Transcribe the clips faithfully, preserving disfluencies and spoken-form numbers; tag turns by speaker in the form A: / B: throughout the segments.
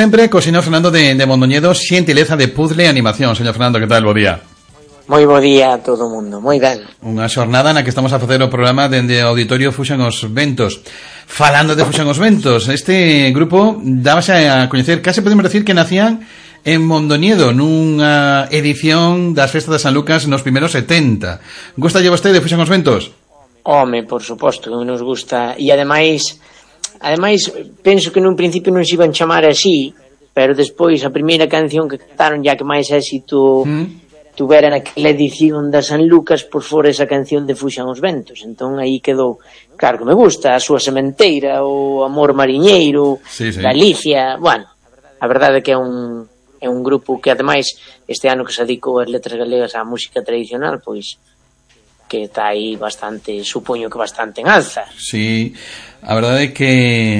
A: Sempre co señor Fernando de, de Mondoñedo, xentileza de Puzzle e Animación. Señor Fernando, que tal? Bo día.
B: Moi bo día a todo o mundo, moi ben.
A: Unha xornada na que estamos a facer o programa dende o Auditorio Fuxan os Ventos. Falando de Fuxan os Ventos, este grupo dábase a coñecer, case podemos decir que nacían en Mondoñedo, nunha edición das festas de San Lucas nos primeiros setenta. Gusta lle vostede de Fuxan os Ventos?
B: Home, por suposto, que nos gusta. E ademais, ademais penso que nun principio non se iban chamar así, pero despois a primeira canción que cantaron, ya que máis éxito mm. tuvera naquela edición da San Lucas, pois fora esa canción de Fuxan os Ventos. Entón aí quedou, claro que me gusta, a súa sementeira, o Amor Mariñeiro, sí, sí. Galicia, bueno, a verdade é que é un é un grupo que ademais este ano que se dedicou as letras galegas á música tradicional, pois que está aí bastante, supoño que bastante en alza.
A: Sí, a verdade é que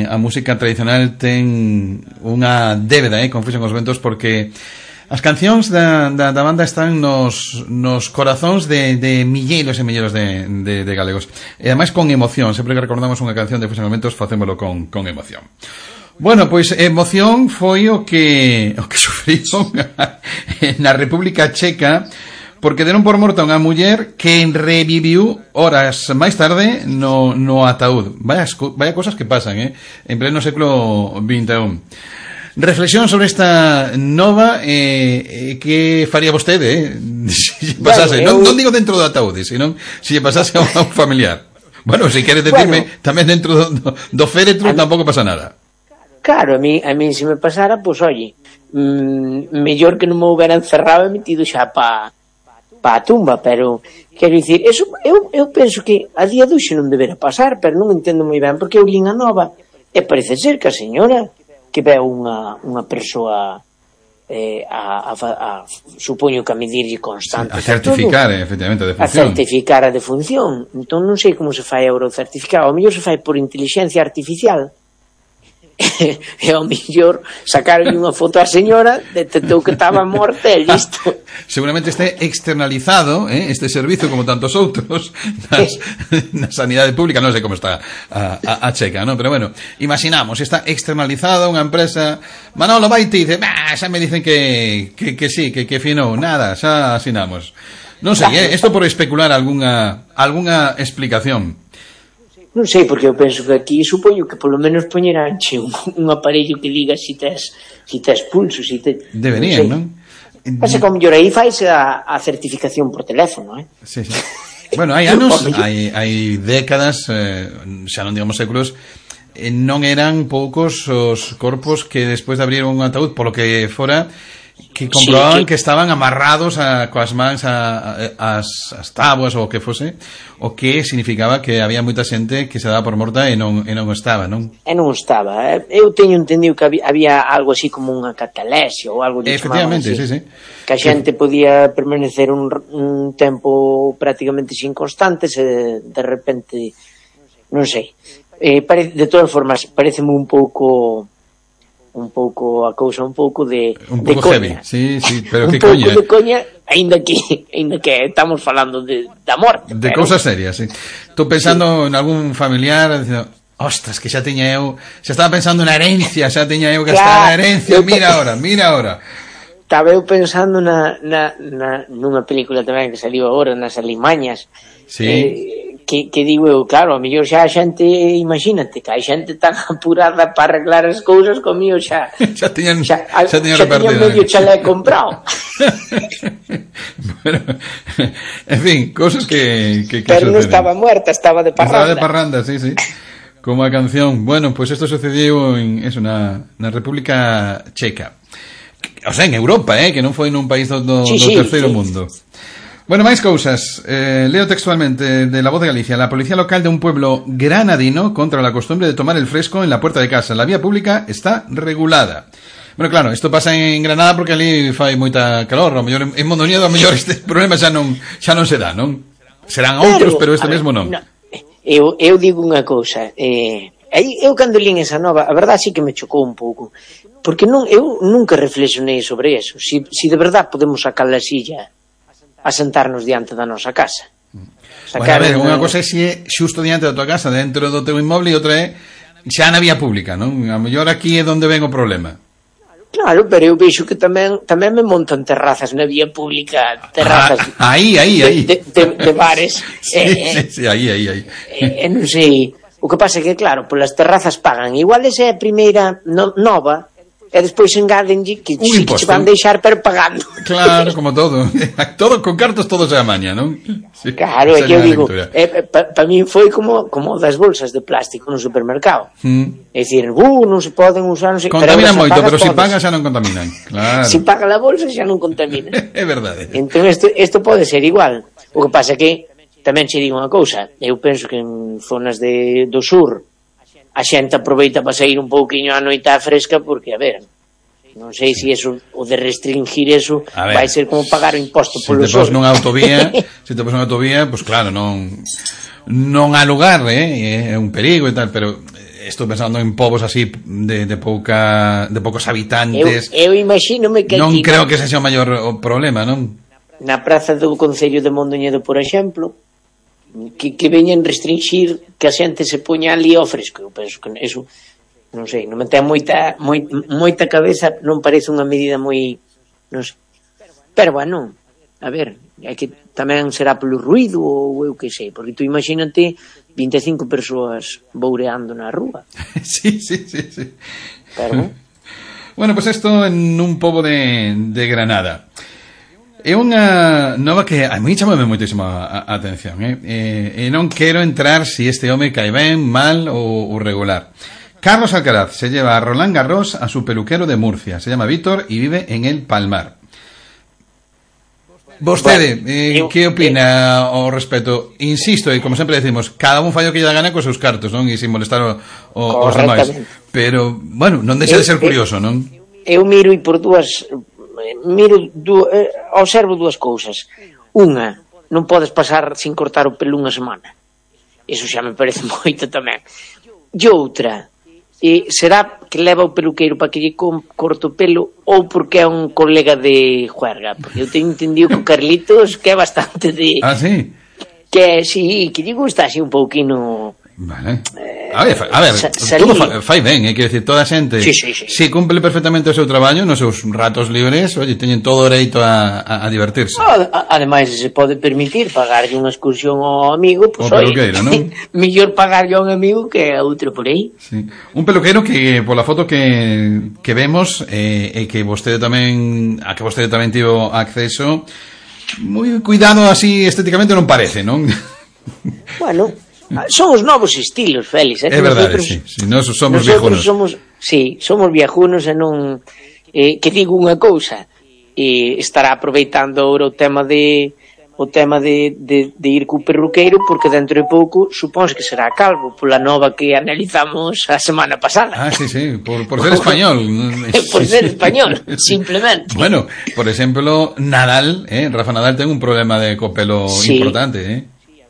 A: a música tradicional ten unha débeda, eh, con Fuxan os Ventos, porque as cancións da, da, da banda están nos, nos corazóns de, de milleiros e milleiros de, de, de galegos. E ademais con emoción, sempre que recordamos unha canción de Fuxan os Ventos, facémolo con, con emoción. Bueno, pois emoción foi o que o que sufriron na República Checa, porque deron por morta unha muller que reviviu horas máis tarde no, no ataúd. Vaya, vaya cosas que pasan, eh? En pleno século vinte e un. Reflexión sobre esta nova, eh, eh, que faría vostede, eh? Se pasase, bueno, eu... non, non digo dentro do ataúd, senón se lle pasase a un familiar. Bueno, se queres decirme, bueno, tamén dentro do, do, do féretro a tampouco pasa nada.
B: Claro, a mí, a mí se me pasara, pois, pues, oye, mmm, mellor que non me houbera encerrado e metido xa pa pa a tumba, pero quero dicir, eso, eu, eu penso que a día doxe non debera pasar, pero non entendo moi ben, porque eu lín a nova e parece ser que a señora que veu unha, unha persoa eh, a, a, a, supoño que a medirlle constante,
A: a certificar, todo, efectivamente, a defunción,
B: a certificar a defunción. Entón non sei como se fai agora o certificado, ao mellor se fai por inteligencia artificial. E ao mellor sacaron unha foto á señora, detectou que estaba morta e listo.
A: Seguramente este externalizado, eh, este servizo como tantos outros nas, na sanidade pública, non sei como está a, a, a checa, ¿no? Pero bueno, imaginamos, está externalizada unha empresa, Manolo vai te dice, bah, xa me dicen que, que, que sí, que, que finou, nada, xa asinamos. Non sei, eh, isto por especular algunha, algunha explicación.
B: Non sei, porque eu penso que aquí supoño que polo menos poñeranche un, un aparello que diga si tes, si tes pulso, si te...
A: Deberían, non?
B: Pasa que ao mellor aí faise a, a certificación por teléfono, eh?
A: Sí, sí. Bueno, hai anos, hai, hai décadas, eh, xa non digamos séculos, eh, non eran poucos os corpos que despois de abrir un ataúd, polo que fora, que comprobaban sí, que... que estaban amarrados a, coas mans a, a, as, as táboas ou o que fose, o que significaba que había moita xente que se daba por morta e non, e non estaba, non?
B: E non estaba. Eu teño entendido que había, había algo así como unha catalexia ou algo de
A: efectivamente, sí, sí.
B: Que a xente podía permanecer un, un tempo prácticamente sin constantes e de repente, non sei. Eh, pare, de todas formas, pareceme un pouco... un pouco a cousa un pouco de
A: un pouco
B: de
A: heavy, sí, sí, pero
B: un
A: que
B: pouco
A: coña,
B: de coña, aínda que aínda que estamos falando de da morte,
A: de
B: pero...
A: cousas serias, sí. Estou pensando sí. en algún familiar dicindo, ostras, que xa tiña eu, xa estaba pensando na herencia, xa tiña eu que claro, estar na herencia, mira ahora, mira ahora.
B: Estaba eu pensando na, na, na nunha película tamén que saliu agora nas Alimañas.
A: Sí.
B: Eh, que, que digo eu, claro, a mellor xa a xente, imagínate, que a xente tan apurada para arreglar as cousas comigo xa
A: xa tiñan
B: xa, a,
A: xa tiñan
B: xa tiñan medio chalé comprado.
A: Bueno, en fin, cosas que, que, que
B: pero
A: suceden.
B: Non estaba muerta, estaba de parranda.
A: Estaba de parranda, sí, sí. Como a canción. Bueno, pues esto sucedió en eso, na, na República Checa. O sea, en Europa, eh, que non foi nun país do, do,
B: sí,
A: do
B: sí,
A: terceiro
B: sí.
A: mundo. Bueno, máis cousas. Eh, leo textualmente de La Voz de Galicia. La policía local de un pueblo granadino contra la costumbre de tomar el fresco en la puerta de casa. La vía pública está regulada. Bueno, claro, isto pasa en Granada porque ali fai moita calor. A mellor en Mondoñedo, a mellor este problema xa non xa non se dá, non? Serán outros, pero, pero este mesmo non.
B: No, eu, eu digo unha cousa. Eh, eu cando lín esa nova, a verdade sí que me chocou un pouco. Porque non, eu nunca reflexionei sobre eso. Si, si de verdade podemos sacar a silla a sentarnos diante da nosa casa.
A: Bueno, a ver, unha cosa é se é xusto diante da tua casa, dentro do teu inmoble, e outra é xa na vía pública, non? A mellor aquí é onde ven o problema.
B: Claro, pero eu vexo que tamén tamén me montan terrazas na vía pública, terrazas
A: ah, aí, aí, aí.
B: De, de, de bares.
A: sí, eh, sí, sí, aí, aí, aí.
B: Eh, non sei, o que pasa é que, claro, polas terrazas pagan. Igual esa é a primeira no, nova, e despois engadenlle que sí que se van deixar, pero pagando.
A: Claro, como todo. Todo con cartos, todo se amaña, non?
B: Sí, claro, é que eu digo, eh, para pa mí foi como como das bolsas de plástico no supermercado. Mm. É dicir, uh, non se poden usar, non se...
A: Contaminan moito, pero se si pagan xa non contaminan. Claro.
B: Se si paga a bolsa xa non contaminan.
A: É verdade.
B: Entón, isto pode ser igual. O que pasa é que, tamén che digo unha cousa, eu penso que en zonas de, do sur a xente aproveita para sair un pouquiño a noite fresca, porque, a ver, non sei se eso, o de restringir eso vai ser como pagar o imposto polo sol.
A: Se te pos nunha autovía, se te pos nunha autovía, pois pues claro, non non há lugar, eh, é un perigo e tal, pero estou pensando en povos así de, de pouca de poucos habitantes.
B: Eu, eu imagínome que
A: non creo que ese sea o maior o problema, non?
B: Na praza do Concello de Mondoñedo, por exemplo, que, que veñen restringir que a xente se poña ali ao fresco. Eu penso que eso, non sei, non me ten moita, moi, moita cabeza, non parece unha medida moi, non sei. Pero, bueno, a ver, é que tamén será polo ruido ou eu que sei, porque tú imagínate vinte e cinco persoas boureando na rúa.
A: Sí, sí, sí, sí.
B: Pero,
A: bueno, pues esto en un pobo de, de Granada. É unha nova que a mí chamame moitísimo a, a atención, eh? E, e non quero entrar si este home cae ben, mal ou, ou regular. Carlos Alcaraz se lleva a Roland Garros a su peluquero de Murcia. Se llama Víctor y vive en el Palmar. Vostede, bueno, eh, eu, que opina eh, ao respecto? Insisto, e como sempre decimos, cada un fallo que lle da gana cos seus cartos, non? E sin molestar o, o, os demais. Pero, bueno, non deixa eu, de ser curioso, eu, non?
B: Eu miro e por dúas... miro, du, eh, observo dúas cousas. Unha, non podes pasar sin cortar o pelo unha semana. Iso xa me parece moito tamén. E outra, eh, será que leva o peluqueiro para que lle corte o pelo ou porque é un colega de juerga? Porque eu teño entendido que o Carlitos que é bastante de...
A: Ah, sí?
B: Que, sí, que lle gusta así un pouquino...
A: Vale. Eh, a ver, a ver todo fa, fai ben, eh, quero dicir, toda a xente
B: sí, sí, sí.
A: si cumple perfectamente o seu traballo nos seus ratos libres, oye, teñen todo o dereito a, a, a divertirse.
B: Ademais, se pode permitir pagarlle unha excursión ao amigo, pois, pues,
A: peluqueiro, non?
B: Mellor pagarlle a un amigo que a outro por aí.
A: Sí. Un peluqueiro que, pola foto que, que vemos, eh, e que vostede tamén, a que vostede tamén tivo acceso, moi cuidado así estéticamente non parece, non?
B: Bueno, son os novos estilos, Félix.
A: É verdade, nosotros, sí, sí, nós somos
B: viejunos.
A: Somos,
B: sí, somos viejunos e non... Eh, que digo unha cousa, eh, estará aproveitando agora o tema de o tema de, de, de ir co perruqueiro, porque dentro de pouco supóns que será calvo, pola nova que analizamos a semana pasada.
A: Ah, sí, sí, por, por ser español.
B: Por ser español, simplemente.
A: Bueno, por exemplo, Nadal, eh, Rafa Nadal ten un problema de copelo sí. importante, eh.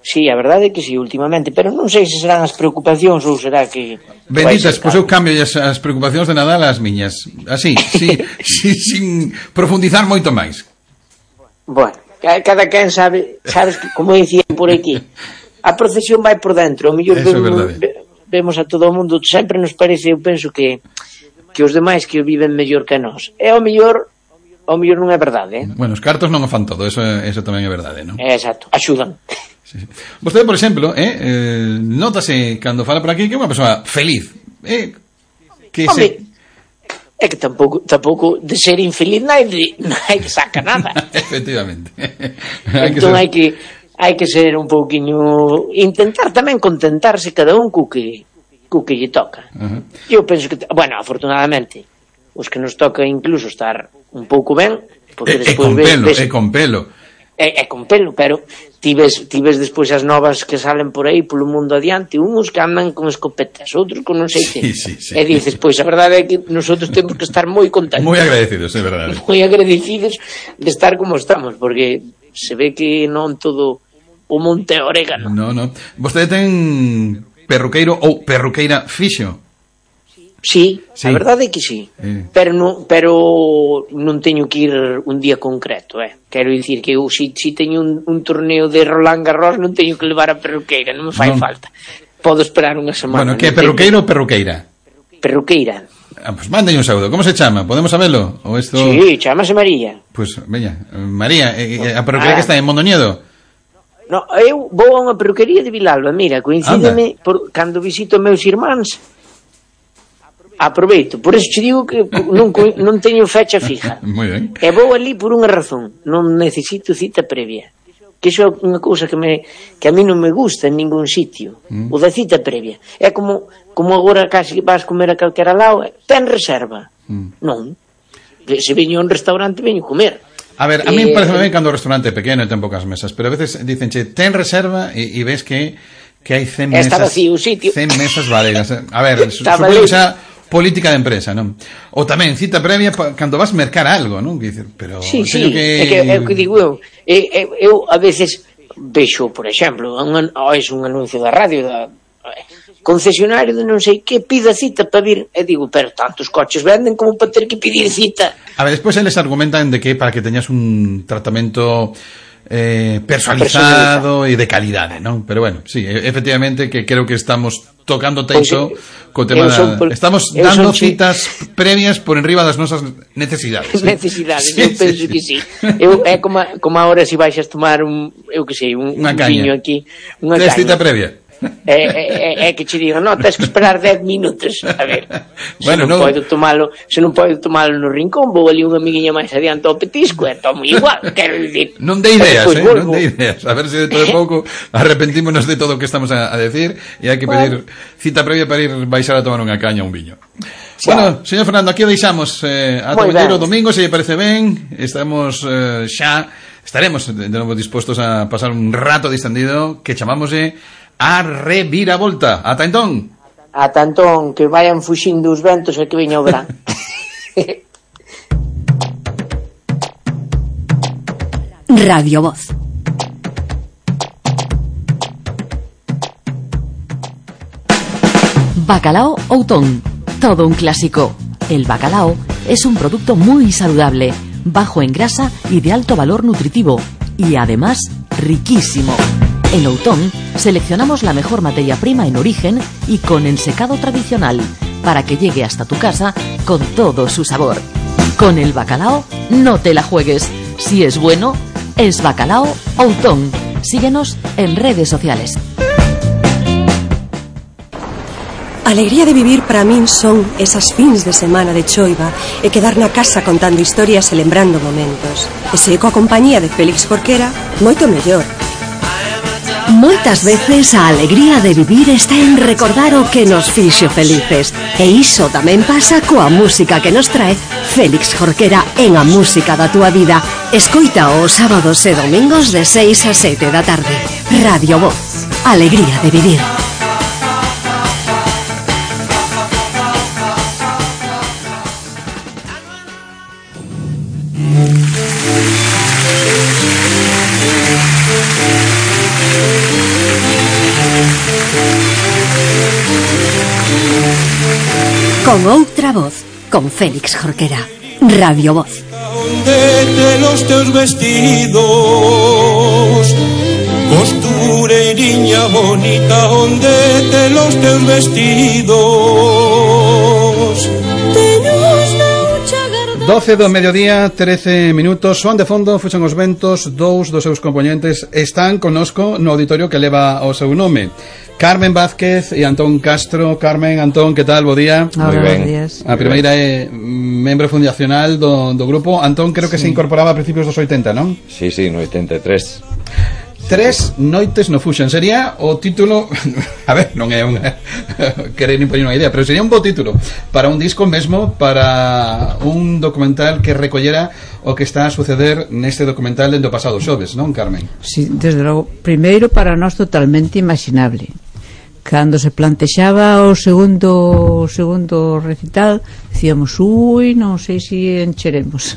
B: Sí, a verdade é que sí, últimamente, pero non sei se serán as preocupacións ou será que...
A: Benditas, pois eu cambio as, as preocupacións de Nadal ás miñas. Así, sí, sí, sin profundizar moito máis.
B: Bueno, cada quen sabe, sabes que, como dicían por aquí, a procesión vai por dentro, o mellor vemos, vemos a todo o mundo, sempre nos parece, eu penso que que os demais que o viven mellor que nós. E ao mellor ao mellor non é verdade, eh?
A: Bueno, os cartos non o fan todo, eso, eso tamén é verdade, non?
B: Exacto, axudan.
A: Sí. Vostede, por exemplo, eh, eh, notase cando fala por aquí que é unha persoa feliz, eh, que
B: Hombre,
A: se...
B: é que tampouco, tampouco de ser infeliz naide, naide saca nada.
A: Efectivamente.
B: Entón hai que hai que ser un pouquiño, intentar tamén contentarse cada un co que co que lle toca. Uh-huh. Eu penso que, bueno, afortunadamente, os que nos toca incluso estar un pouco ben, porque
A: e,
B: despois
A: e con pelo,
B: ves,
A: e con pelo.
B: É, é con pelo, pero ti ves, ti ves despois as novas que salen por aí polo mundo adiante, uns que andan con escopetas, outros con non sei que.
A: Sí, sí, sí.
B: E dices, pois a verdade é que nosotros temos que estar moi contentos.
A: Moi agradecidos, é verdade.
B: Moi agradecidos de estar como estamos, porque se ve que non todo o monte orégano.
A: No, no. Vostede ten perruqueiro ou perruqueira fixo?
B: Sí, sí, a verdade é que sí,
A: eh.
B: pero, non, pero non teño que ir un día concreto, eh. Quero dicir que eu si, si teño un, un torneo de Roland Garros non teño que levar a perruqueira, non me fai non. falta. Podo esperar unha semana.
A: Bueno, que é perruqueiro ou perruqueira?
B: Perruqueira.
A: Ah, pues mande un saúdo. Como se chama? Podemos sabelo? O esto...
B: Sí, chamase María.
A: Pues, veña, María, eh, a peluquería ah. que está en Mondoñedo.
B: No, eu vou a unha peluquería de Vilalba. Mira, coincídeme por, cando visito meus irmáns. Aproveito, por eso te digo que non, non teño fecha fija.
A: Moi ben.
B: E vou ali por unha razón, non necesito cita previa. Que iso é unha cousa que me que a mí non me gusta en ningún sitio, mm. o da cita previa. É como como agora casi vas comer a calquera lado, ten reserva. Mm. Non. Se veño a un restaurante, veño comer.
A: A ver, a mí me parece ben cando o restaurante é pequeno e ten poucas mesas, pero a veces dicen, che, ten reserva e, e ves que que hai cen mesas.
B: Está vacío o sitio.
A: cen mesas valeras. A ver, supoño que xa política de empresa, non? Ou tamén cita previa pa, cando vas mercar algo, non? Dicer, pero
B: sí, sí,
A: que...
B: é que é o que digo eu. Eu, eu a veces vexo, por exemplo, un, oh, es un anuncio da radio da concesionario de non sei que pida cita para vir, e digo, pero tantos coches venden como para ter que pedir cita.
A: A ver, despois eles argumentan de que para que teñas un tratamento eh, personalizado e de calidade, non? Pero bueno, sí, efectivamente que creo que estamos tocando teixo pues, co tema da... Por, estamos dando citas chi... previas por enriba das nosas necesidades.
B: ¿sí? Necesidades, sí, eu penso sí, que sí. Eu, é como, como ahora se si vais a tomar un, eu que sei, un, un viño aquí, unha caña.
A: Cita previa.
B: É, é, é que che digo, non, tens que esperar dez minutos. A ver,
A: bueno,
B: se non
A: no...
B: podo tomalo, se non podo tomalo no rincón, vou ali unha amiguinha máis adiante ao petisco e tomo igual, quero dicir.
A: Non de ideas, eh, non de ideas. A ver se dentro de pouco arrepentímonos de todo o que estamos a, a decir e hai que pedir cita previa para ir baixar a tomar unha caña ou un viño. Xa. Bueno, señor Fernando, aquí o deixamos eh, ata o vindeiro domingo, se lle parece ben. Estamos eh, xa, estaremos de novo dispostos a pasar un rato distendido que chamámoslle a reviravolta. Ata entón.
B: Ata entón, que vayan fuxindo os ventos e que veña o verán.
C: Radio Voz. Bacalao Outón. Todo un clásico. El bacalao es un producto muy saludable, bajo en grasa y de alto valor nutritivo, y además riquísimo. En Outón seleccionamos la mejor materia prima en origen y con ensecado tradicional para que llegue hasta tu casa con todo su sabor. Con el bacalao no te la juegues. Si es bueno, es Bacalao Outón. Síguenos en redes sociales.
D: Alegría de vivir para min son esas fins de semana de choiva e quedar na casa contando historias e lembrando momentos. E se coa compañía de Félix Jorquera, moito mellor.
C: Moitas veces a alegría de vivir está en recordar o que nos fixo felices. E iso tamén pasa coa música que nos trae Félix Jorquera en A Música da Túa Vida. Escoita os sábados e domingos de seis a sete da tarde. Radio Voz. Alegría de vivir. Con outra voz, con Félix Jorquera. Radio Voz.
E: Onde los teus vestidos, costureiriña bonita, onde te los teus vestidos.
A: doce do mediodía, trece minutos. Son de fondo, fuxen os ventos. Dous dos seus componentes están connosco no auditorio que leva o seu nome. Carmen Vázquez e Antón Castro. Carmen, Antón, que tal? Bo día.
F: Moi ben. Días.
A: A primeira é membro fundacional do, do grupo. Antón creo que sí. Se incorporaba a principios dos oitenta, non?
G: Sí, sí, no oitenta e tres.
A: Tres noites no Fuxen. Sería o título... A ver, non é unha... querer impoñer unha idea, pero sería un bo título para un disco mesmo, para un documental que recollera o que está a suceder neste documental dentro do pasado xoves, non, Carmen?
F: Sí, desde logo. Primeiro, para nós totalmente imaginable. Cando se plantexaba o segundo o segundo recital, dicíamos, ui, non sei se encheremos.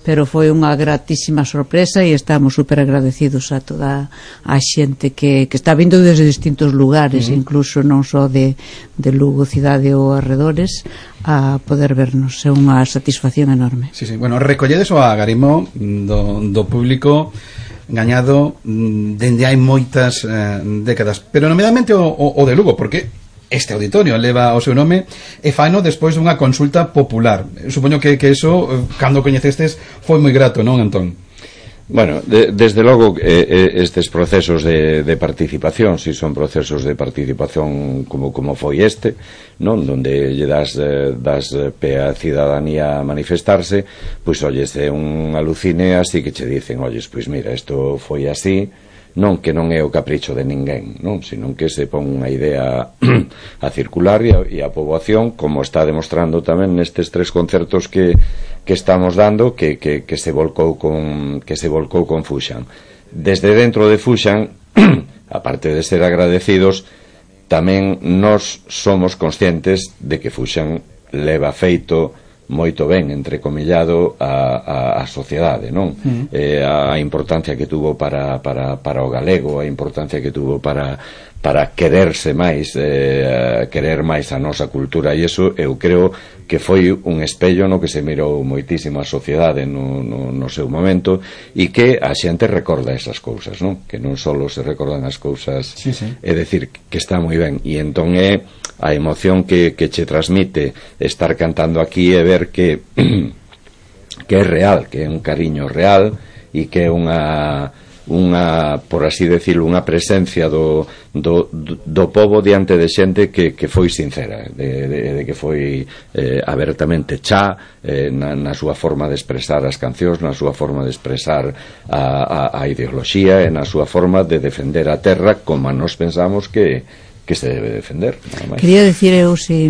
F: Pero foi unha gratísima sorpresa e estamos super agradecidos a toda a xente que, que está vindo desde distintos lugares, uh-huh. incluso non só de, de Lugo, cidade ou arredores, a poder vernos. É unha satisfacción enorme.
A: Sí, sí. Bueno, recolledes o agarimo do, do público gañado dende hai moitas eh, décadas, pero nomeadamente o, o, o de Lugo, porque este auditorio leva o seu nome e faino despois dunha consulta popular. Supoño que, que eso, cando coñecestes, foi moi grato, non, Antón?
G: Bueno, de, desde logo eh, estes procesos de, de participación, si son procesos de participación como, como foi este, non, donde lle das, eh, das pe a cidadanía a manifestarse, pois olles é un alucine así que che dicen, olles, pois mira, isto foi así, non que non é o capricho de ninguén, non, sino que se pon unha idea a circular e a, e a poboación, como está demostrando tamén nestes tres concertos que, que estamos dando, que, que, que se volcou con que se volcou con Fuxan. Desde dentro de Fuxan, aparte de ser agradecidos, tamén nós somos conscientes de que Fuxan leva feito moito ben, entrecomillado, a, a, a sociedade, non? Mm. Eh, a importancia que tuvo para, para, para o galego, a importancia que tuvo para, para quererse máis, eh, querer máis a nosa cultura, e iso eu creo que foi un espello no que se mirou moitísimo a sociedade no, no, no seu momento, e que a xente recorda esas cousas, non? Que non só se recordan as cousas,
A: sí, sí.
G: É dicir, que está moi ben, e entón é a emoción que, que che transmite estar cantando aquí e ver que que é real, que é un cariño real e que é unha unha, por así decirlo, unha presencia do, do, do pobo diante de xente que, que foi sincera, de, de, de que foi eh, abertamente chá eh, na, na súa forma de expresar as cancións, na súa forma de expresar a, a, a ideoloxía e na súa forma de defender a terra como nós pensamos que que se debe defender.
F: Quería decir eu se,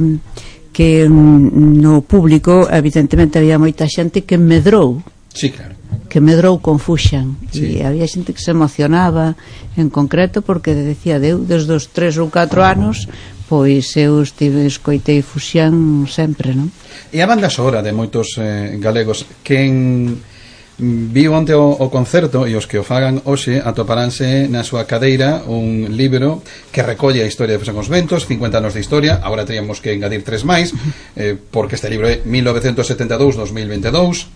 F: que no público evidentemente había moita xente que medrou,
A: sí, claro,
F: que medrou con Fuxan,
A: sí.
F: E había xente que se emocionaba en concreto porque decía, eu desde os tres ou catro anos pois eu estive escoitei Fuxan sempre, non?
A: E a banda sonora de moitos eh, galegos que en viu onte o, o concerto, e os que o fagan hoxe atoparánse na súa cadeira un libro que recolle a historia de Fuxan cos Ventos, cincuenta anos de historia. Agora teríamos que engadir tres máis, eh, porque este libro é mil novecentos setenta e dous a dos mil vinte e dous,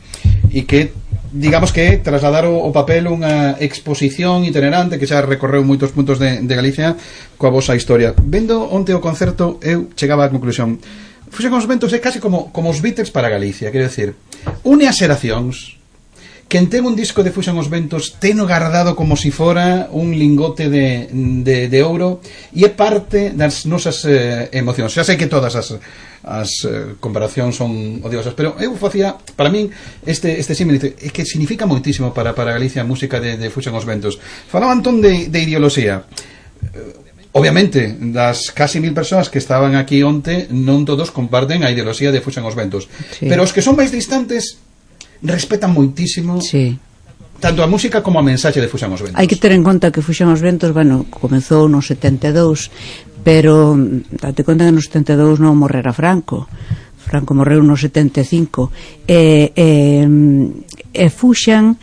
A: e que digamos que trasladar o, o papel unha exposición itinerante que xa recorreu moitos puntos de, de Galicia coa vosa historia. Vendo onte o concerto, eu chegaba á conclusión, Fuxan cos Ventos é casi como, como os Beatles para Galicia, quero decir, une as xeracións. Quen ten un disco de Fuxan os Ventos teno guardado como si fora un lingote de, de, de ouro, e é parte das nosas eh, emocións. Xa sei que todas as, as eh, comparacións son odiosas, pero eu facía, para min, este, este símil é que significa moitísimo para, para Galicia a música de, de Fuxan os Ventos. Falaba Antón de, de ideoloxía. Obviamente, das casi mil persoas que estaban aquí onte, non todos comparten a ideoloxía de Fuxan os Ventos, sí. Pero os que son máis distantes respetan moitísimo, sí, tanto a música como a mensaxe de Fuxan os Ventos.
F: Hai que ter en conta que Fuxan os Ventos, bueno, comezou no setenta e dous, pero date conta que no setenta e dous non morrera Franco. Franco morreu no setenta e cinco. E, e, e Fuxan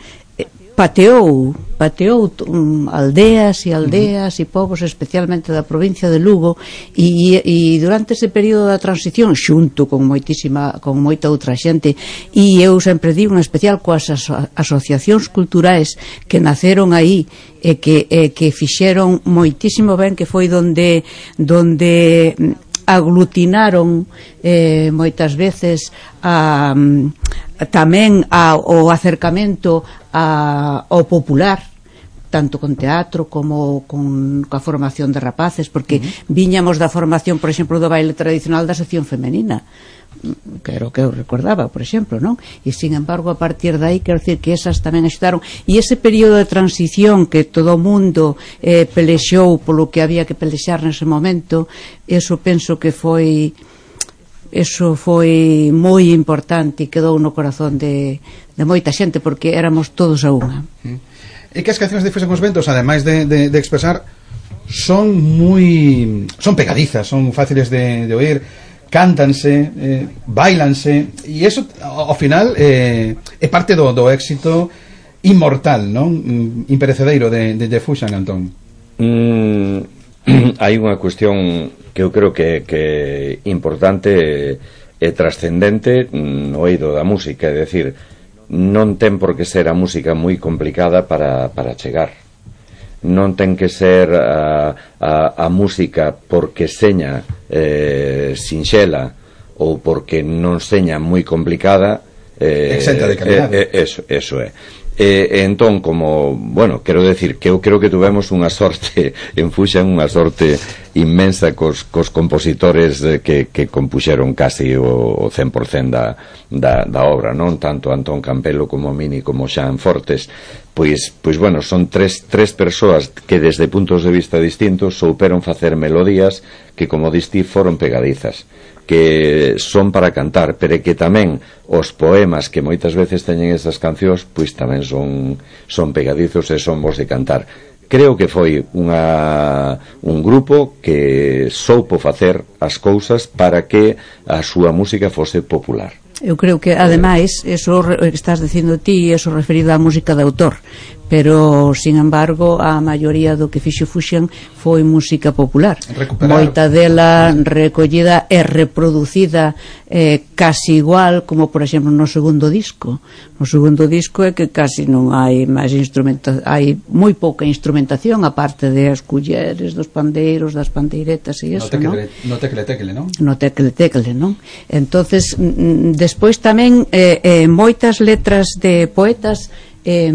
F: pateou, pateou um, aldeas e aldeas uh -huh. e povos, especialmente da provincia de Lugo, e, e durante ese período da transición, xunto con moitísima, con moita outra xente, e eu sempre digo, en especial coas aso asociacións culturais que naceron aí e que, e que fixeron moitísimo ben, que foi donde donde aglutinaron eh, moitas veces a, a, tamén a, o acercamento a, ao popular, tanto con teatro como con coa formación de rapaces, porque uh -huh. viñamos da formación, por exemplo, do baile tradicional da sección femenina, que era o que eu recordaba, por exemplo, non? E sin embargo, a partir de aí, quero dicir que esas tamén axudaron, e ese período de transición que todo o mundo eh, pelexou polo que había que pelexar nese momento, eso penso que foi eso foi moi importante e quedou no corazón de, de moita xente, porque éramos todos a unha.
A: E que as cancións de Fuxan cos Ventos, ademais de, de, de expresar, son moi son pegadizas, son fáciles de, de oír, cántanse, eh, bailanse, e eso ao final eh, é parte do, do éxito inmortal, non? Imperecedeiro de, de, de Fuxan, Antón.
G: Mm, hai unha cuestión que eu creo que, que importante e trascendente no eido da música, é dicir, non ten por que ser a música moi complicada para, para chegar. non ten que ser a, a, a música porque seña eh, sinxela ou porque non seña moi complicada, eh,
A: exenta de calidade.
G: Eh, eh, eso, eso é. E, entón, como, bueno, quero decir que eu creo que tuvemos unha sorte en Fuxan, unha sorte inmensa cos, cos compositores que, que compuxeron casi o, o cen por cento da, da, da obra, non? Tanto Antón Campelo como Mini como Xan Fortes. Pois, pois bueno, son tres, tres persoas que desde puntos de vista distintos souperon facer melodías que, como distí, foron pegadizas, que son para cantar, pero que tamén os poemas que moitas veces teñen esas cancións, pois tamén son, son pegadizos e son bons de cantar. Creo que foi unha, un grupo que soupo facer as cousas para que a súa música fose popular.
F: Eu creo que, ademais, eso que estás dicindo ti, eso referido á música de autor, pero, sin embargo, a maioría do que fixo Fuxan foi música popular. Recuperar. Moita dela recollida e reproducida eh, casi igual como, por exemplo, no segundo disco. No segundo disco é que casi non hai máis instrumentación, hai moi pouca instrumentación, aparte de as culleres, dos pandeiros, das pandeiretas e eso, non?
A: No tecle tecle, non?
F: No tecle tecle, non? Entonces, despois tamén eh, eh, moitas letras de poetas eh,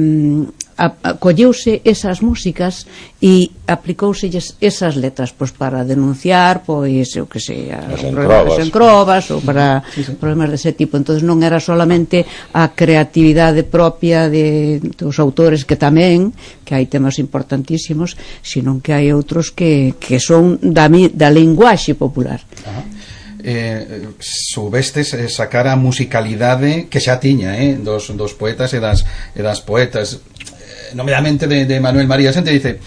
F: colleuse esas músicas e aplicouse esas letras pois para denunciar, pois eu que sei,
G: as
F: encrobas ou para sí, sí. problemas dese tipo. Entonces non era solamente a creatividade propia de, dos autores, que tamén, que hai temas importantísimos, sino que hai outros que, que son da, da linguaxe popular.
A: Ajá. Eh, soubestes eh, sacar a musicalidade que xa tiña eh, dos, dos poetas e das, e das poetas, eh, nomeadamente de, de Manuel María. A xente dice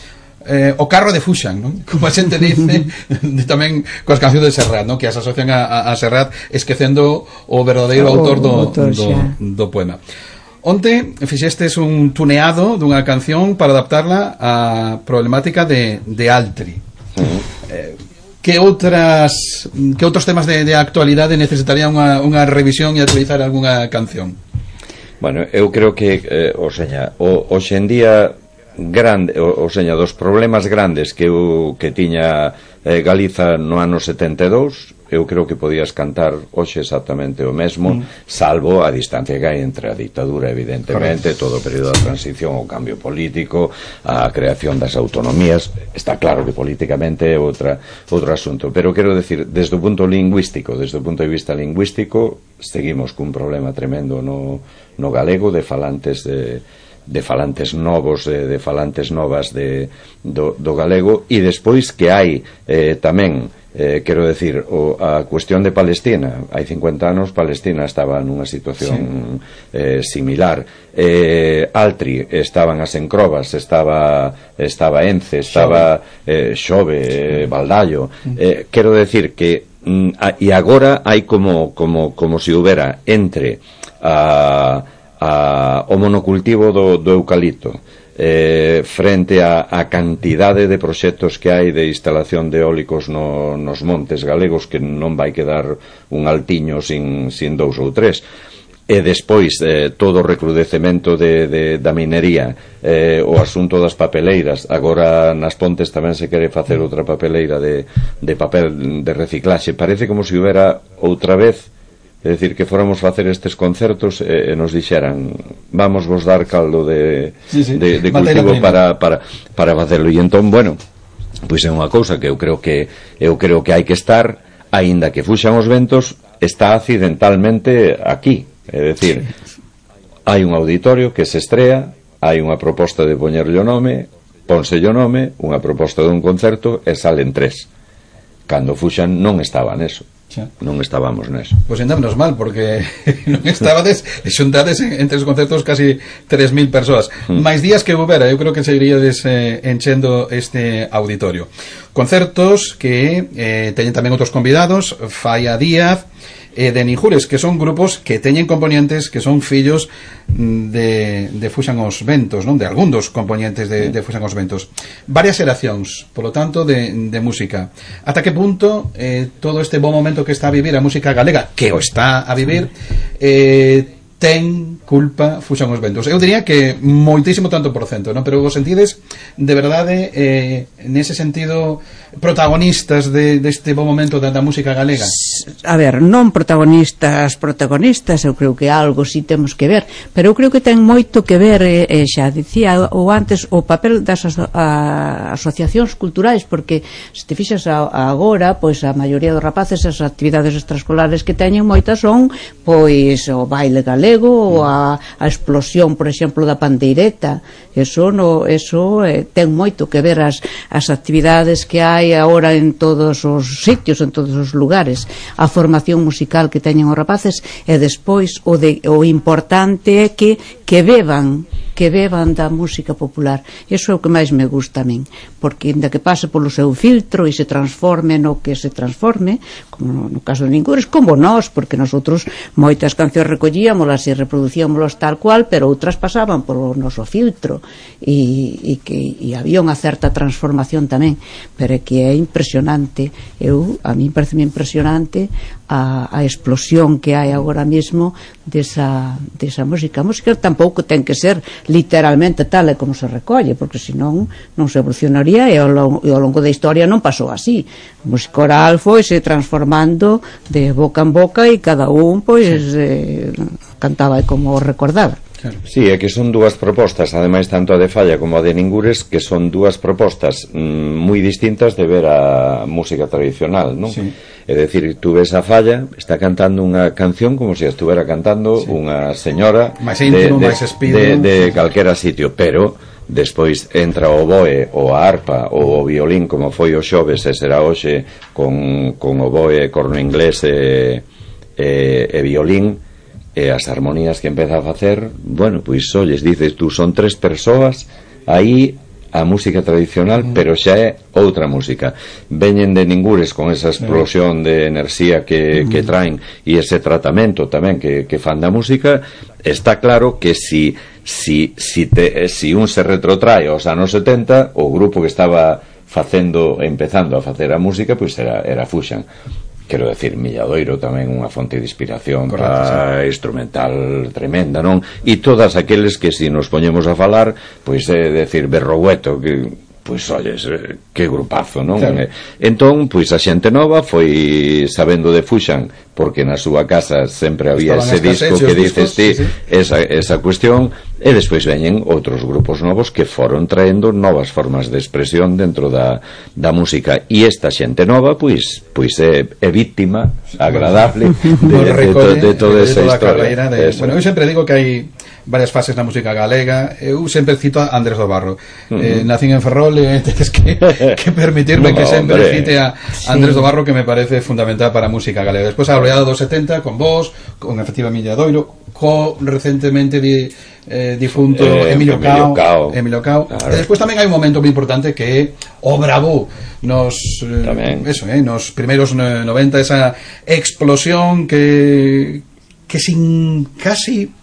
A: eh, o carro de Fuxan, non? Como a xente dice de, tamén coas cancións de Serrat, non? Que as asocian a, a, a Serrat, esquecendo o verdadeiro oh, autor do, autor, do, do poema. Onte fixestes un tuneado dunha canción para adaptarla á problemática de, de Altri. Uh-huh. eh, Que outras que outros temas de, de actualidade necesitaría unha, unha revisión e actualizar algunha canción?
G: Bueno, eu creo que eh, o seña, o, hoxe en día grande, o, o seña, dos problemas grandes que eu, que tiña eh, Galiza no ano setenta e dous, eu creo que podías cantar hoxe exactamente o mesmo, mm. salvo a distancia que hai entre a ditadura, evidentemente, correcto, todo o período da transición, o cambio político, a creación das autonomías. Está claro que políticamente é outra, outro asunto, pero quero decir, desde o punto lingüístico, desde o punto de vista lingüístico, seguimos cun problema tremendo no, no galego, de falantes de de falantes novos, de, de falantes novas de, do, do galego, e despois que hai eh, tamén, eh, quero decir, o, a cuestión de Palestina. Hai cincuenta anos Palestina estaba nunha situación sí. eh, similar. eh, Altri estaban as encrobas, estaba estaba Ence, estaba eh, Xove, eh, Baldallo. eh, quero decir que mm, a, e agora hai como, como, como se houbera entre a A, o monocultivo do, do eucalipto eh, frente a, a cantidade de proxectos que hai de instalación de eólicos no, nos montes galegos, que non vai quedar un altiño sin, sin dous ou tres, e despois eh, todo o recrudecemento de, de, da minería, eh, o asunto das papeleiras. Agora nas Pontes tamén se quere facer outra papeleira de, de papel de reciclaxe. Parece como se houbera outra vez, é dicir, que fóramos facer estes concertos e, e nos dixeran, vamos vos dar caldo de, sí, sí, de, de cultivo para, para, para facelo. E entón, bueno, pois é unha cousa que eu creo que eu creo que hai que estar, aínda que fuxan os ventos, está accidentalmente aquí. É dicir, hai un auditorio que se estrea, hai unha proposta de poñerlle o nome, pónselle o nome, unha proposta dun concerto e salen tres. Cando fuxan non estaba neso. Xa. Non estábamos neso.
A: Pois pues andámonos mal, porque non estabades xuntades entre os concertos casi tres mil persoas. Mm. máis días que houbera, eu creo que seguiríades eh, enchendo este auditorio. Concertos que eh, teñen tamén outros convidados, Falla Díaz e de Ninjures, que son grupos que teñen componentes que son fillos de, de Fuxan os Ventos, non? De algún dos componentes de, de Fuxan os Ventos. Varias xeracións, polo tanto, de, de música. Ata que punto eh, todo este bom momento que está a vivir a música galega, que o está a vivir, eh, ten culpa Fuxan os Ventos. Eu diría que moitísimo tanto por cento, non? Pero vos sentides de verdade eh, nese sentido protagonistas de, deste bo momento da, da música galega?
F: A ver, non protagonistas protagonistas, eu creo que algo si temos que ver, pero eu creo que ten moito que ver, eh, eh, xa dicía ou antes, o papel das aso a, asociacións culturais, porque se te fixas a, a agora, pois a maioría dos rapaces as actividades extraescolares que teñen moitas son pois o baile galego ou a, a explosión, por exemplo, da pandeireta. Eso, no, eso eh, ten moito que ver as, as actividades que hai agora en todos os sitios, en todos os lugares, a formación musical que teñen os rapaces, e despois o, de, o importante é que, que beban que beban da música popular. Iso é o que máis me gusta a min, porque inda que pase polo seu filtro e se transforme no que se transforme, como no caso de Ningures, como nós, porque nosotros moitas cancións recollíamolas e reproducíamolas tal cual, pero outras pasaban polo noso filtro e, e que e había unha certa transformación tamén, pero é que é impresionante. Eu, a mí parece impresionante a, a explosión que hai agora mesmo desa, desa música. A música tampouco ten que ser literalmente tal e como se recolle, porque senón non se evolucionaría, e ao longo, e ao longo da historia non pasou así. A música oral foi se transformando de boca en boca e cada un pois eh, cantaba como recordaba.
G: Sí, é que son dúas propostas, ademais tanto a de Falla como a de Ningures, que son dúas propostas mm, moi distintas de ver a música tradicional, non? Sí. É dicir, tú ves a Falla, está cantando unha canción como se estuvera cantando sí. unha señora
A: máis íntimo, máis espido,
G: de, de, de calquera sitio, pero despois entra o oboe ou a arpa ou o violín, como foi o xoves e será hoxe, con, con oboe, corno inglés e, e, e violín, e as armonías que empeza a facer, bueno, pois olles, dices tú, son tres persoas aí a música tradicional, mm. pero xa é outra música. Veñen de Ningures con esa explosión de enerxía que, mm. que traen e ese tratamento tamén que, que fan da música. Está claro que si si, si, te, si un se retrotrae aos anos setenta, o grupo que estaba facendo, empezando a facer a música, pois era, era Fuxan. Quero decir, Milladoiro tamén unha fonte de inspiración para instrumental tremenda, non? E todas aqueles que se nos poñemos a falar, pois é decir, Berrogueto, que pois olles, que grupazo, non? Claro. Entón, pois a xente nova foi sabendo de Fuxan, porque na súa casa sempre había ese disco que dices ti, sí, sí. esa, esa cuestión, e despois veñen outros grupos novos que foron traendo novas formas de expresión dentro da, da música, e esta xente nova pois pois é, é víctima agradable de, de, de, to, de toda esa historia.
A: De, bueno, eu sempre digo que hai varias fases na música galega. Eu sempre cito a Andrés do Barro. Uh -huh. eh, nacín en Ferrol e tenes que, que permitirme no, que sempre hombre. cite a Andrés sí. do Barro, que me parece fundamental para a música galega. Despois a oleada dos setenta con vos, con efectiva Milladoiro, co recentemente di, eh, difunto eh, Emilio Cao, Emilio Cao. Claro. E despois tamén hai un momento moi importante que é o Bravo nos eh, eso, eh, nos primeiros noventa, esa explosión que que sin casi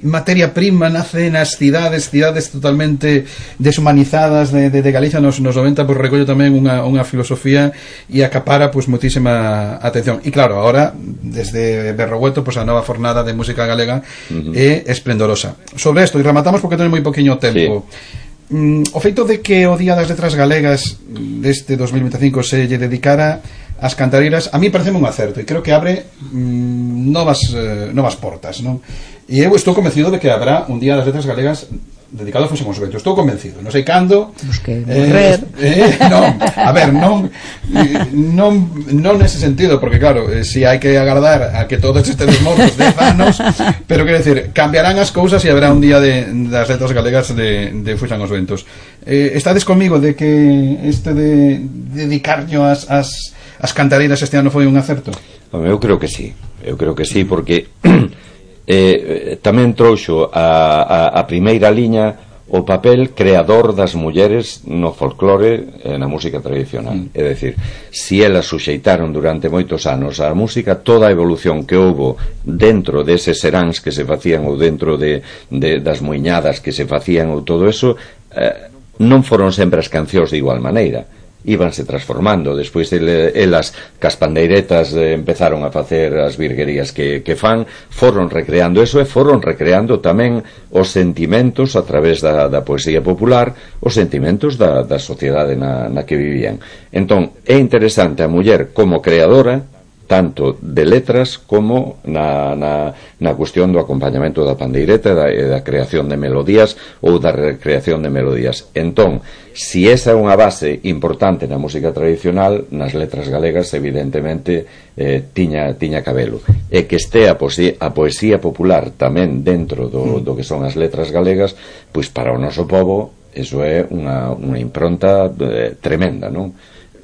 A: materia prima nace nas cidades, cidades totalmente deshumanizadas de, de, de Galicia nos, nos noventa, pois recollo tamén unha, unha filosofía e acapara pois moitísima atención. E claro, agora desde Berrogueto, pois a nova fornada de música galega uh-huh. é esplendorosa. Sobre isto, e rematamos porque tenes moi poquinho tempo. Sí. Mm, o feito de que o Día das Letras Galegas deste dos mil veinticinco se lle dedicara as cantareiras, a mí pareceme un acerto e creo que abre mm, novas, eh, novas portas, non? E eu estou convencido de que habrá un Día das Letras Galegas dedicado a Fuxan os Ventos. Estou convencido, non sei cando.
F: Busque morrer.
A: Eh, eh, non, a ver, non non non nese sentido, porque claro, eh, si hai que agardar a que todos estedes mortos dez anos, pero quero decir, cambiarán as cousas e haberá un Día de, das Letras Galegas de, de Fuxan os Ventos. Eh, estades comigo de que este de dedicarño as, as, as cantareiras este ano foi un acerto?
G: Eu creo que sí, eu creo que sí, porque eh, tamén trouxo a, a, a primeira liña o papel creador das mulleres no folclore e na música tradicional. Mm. É dicir, si elas suxeitaron durante moitos anos a música, toda a evolución que houbo dentro deses seráns que se facían ou dentro de, de, das muiñadas que se facían ou todo eso, eh, non foron sempre as cancións de igual maneira. íbanse transformando. Despois ele, elas, cas pandeiretas, eh, empezaron a facer as virguerías que, que fan, foron recreando eso e foron recreando tamén os sentimentos a través da, da poesía popular, os sentimentos da, da sociedade na, na que vivían. Entón, é interesante a muller como creadora, tanto de letras como na, na, na cuestión do acompañamento da pandeireta e da, e da creación de melodías ou da recreación de melodías. Entón, si esa é unha base importante na música tradicional, nas letras galegas evidentemente eh, tiña, tiña cabelo. E que este a poesía, a poesía popular tamén dentro do, do que son as letras galegas, pois para o noso povo eso é unha, unha impronta eh, tremenda, non?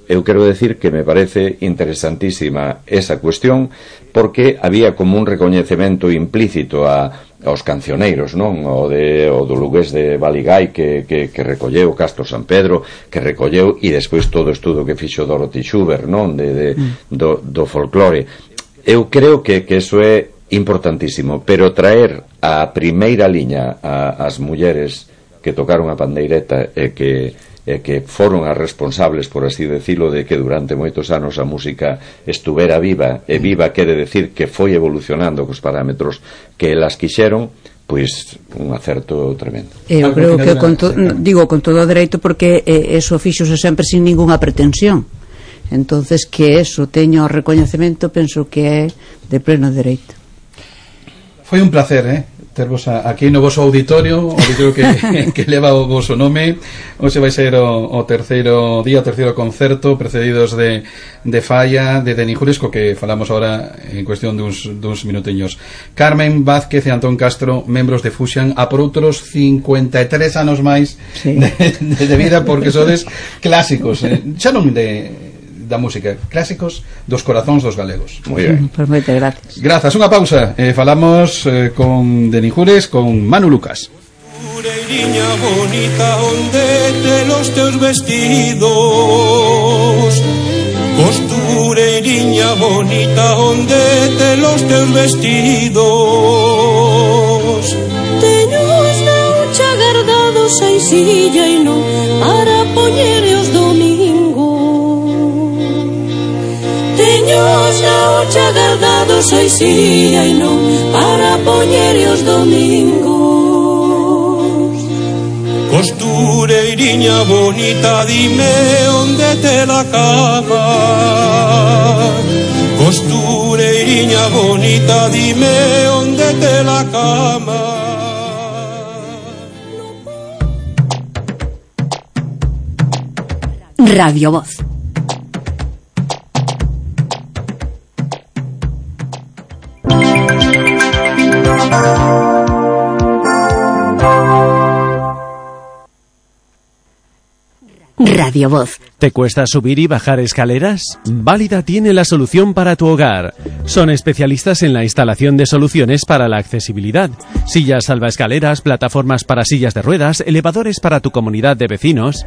G: Eu quero decir que me parece interesantísima esa cuestión, porque había como un recoñecemento implícito a, aos cancioneiros, non? O, de, o do lugués de Baligái que, que, que recolleu Castro San Pedro, que recolleu, e despois todo o estudo que fixo Dorothy Schubert, non? De, de, do, do folclore. Eu creo que, que eso é importantísimo, pero traer a primeira liña a, as mulleres que tocaron a pandeireta e que e que foron as responsables, por así decirlo, de que durante moitos anos a música estuvera viva, e viva quere decir que foi evolucionando cos parámetros que elas quixeron, pois un acerto tremendo.
F: Eu creo que con to, digo con todo o dereito, porque eh, eso fíxose sempre sin ninguna pretensión. Entonces que eso teño o recoñecemento, penso que é de pleno dereito.
A: Foi un placer, eh? tervos aquí no voso auditorio, o auditorio que, que leva o voso nome. Hoxe vai ser o, o terceiro día, o terceiro concerto, precedidos de, de Falla, de Deni Jules, co que falamos ahora en cuestión duns, duns minuteños. Carmen Vázquez e Antón Castro, membros de Fusian, a por outros cincuenta e tres anos máis sí. de, de, de vida, porque sodes clásicos, eh? xa non de da música, clásicos dos corazóns dos galegos.
F: Moi ben. Pues moitas gracias.
A: Grazas, unha pausa. Eh, falamos eh, con Deni Jures, con Manu Lucas.
E: Costureiriña bonita, onde te los teus vestidos. Costureiriña bonita, onde te los teus vestidos.
H: Teños na hucha guardados a silla e non para poñer os domingos. Teños na hucha guardados a silla e non para poñer os domingos.
E: Costureiriña bonita, dime onde te la cama. Costureiriña bonita, dime onde te la cama.
C: Radio Voz. Radio Voz.
I: ¿Te cuesta subir y bajar escaleras? Válida tiene la solución para tu hogar. Son especialistas en la instalación de soluciones para la accesibilidad. Sillas salvaescaleras, plataformas para sillas de ruedas, elevadores para tu comunidad de vecinos.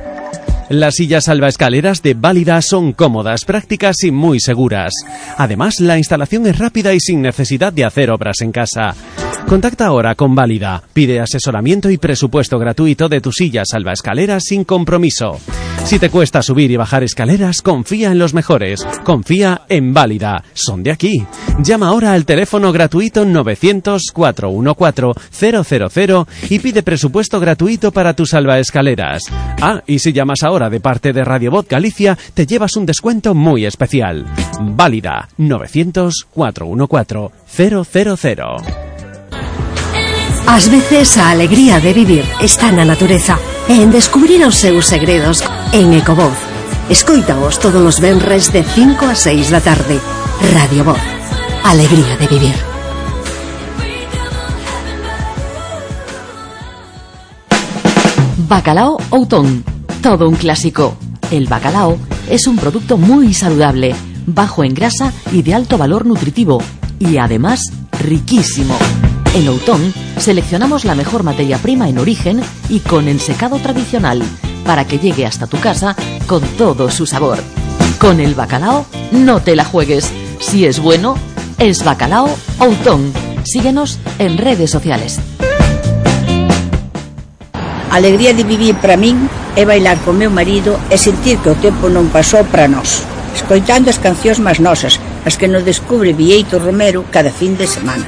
I: Las sillas salvaescaleras de Válida son cómodas, prácticas y muy seguras. Además, la instalación es rápida y sin necesidad de hacer obras en casa. Contacta ahora con Válida. Pide asesoramiento y presupuesto gratuito de tu silla salvaescaleras sin compromiso. Si te cuesta subir y bajar escaleras, confía en los mejores. Confía en Válida. Son de aquí. Llama ahora al teléfono gratuito novecientos, cuatrocientos catorce, cero cero cero y pide presupuesto gratuito para tus salvaescaleras. Ah, y si llamas ahora de parte de Radio Voz Galicia, te llevas un descuento muy especial. Válida. novecientos, cuatrocientos catorce, cero cero cero.
D: Ás veces a alegría de vivir está na natureza e en descubrir os seus segredos en Ecovoz. Escoítaos todos os venres de cinco a seis da tarde. Radio Voz. Alegría de vivir.
C: Bacalao Outón. Todo un clásico. El bacalao es un producto muy saludable, bajo en grasa y de alto valor nutritivo, y además riquísimo. En Outón seleccionamos la mejor materia prima en origen y con ensecado tradicional para que llegue hasta tu casa con todo su sabor. Con el bacalao no te la juegues. Si es bueno, es Bacalao Outón. Síguenos en redes sociales.
J: A alegría de vivir para min é bailar co meu marido e sentir que o tempo non pasou para nós, escoitando as cancións máis nosas, as que nos descubre Bieito Romero cada fin de semana.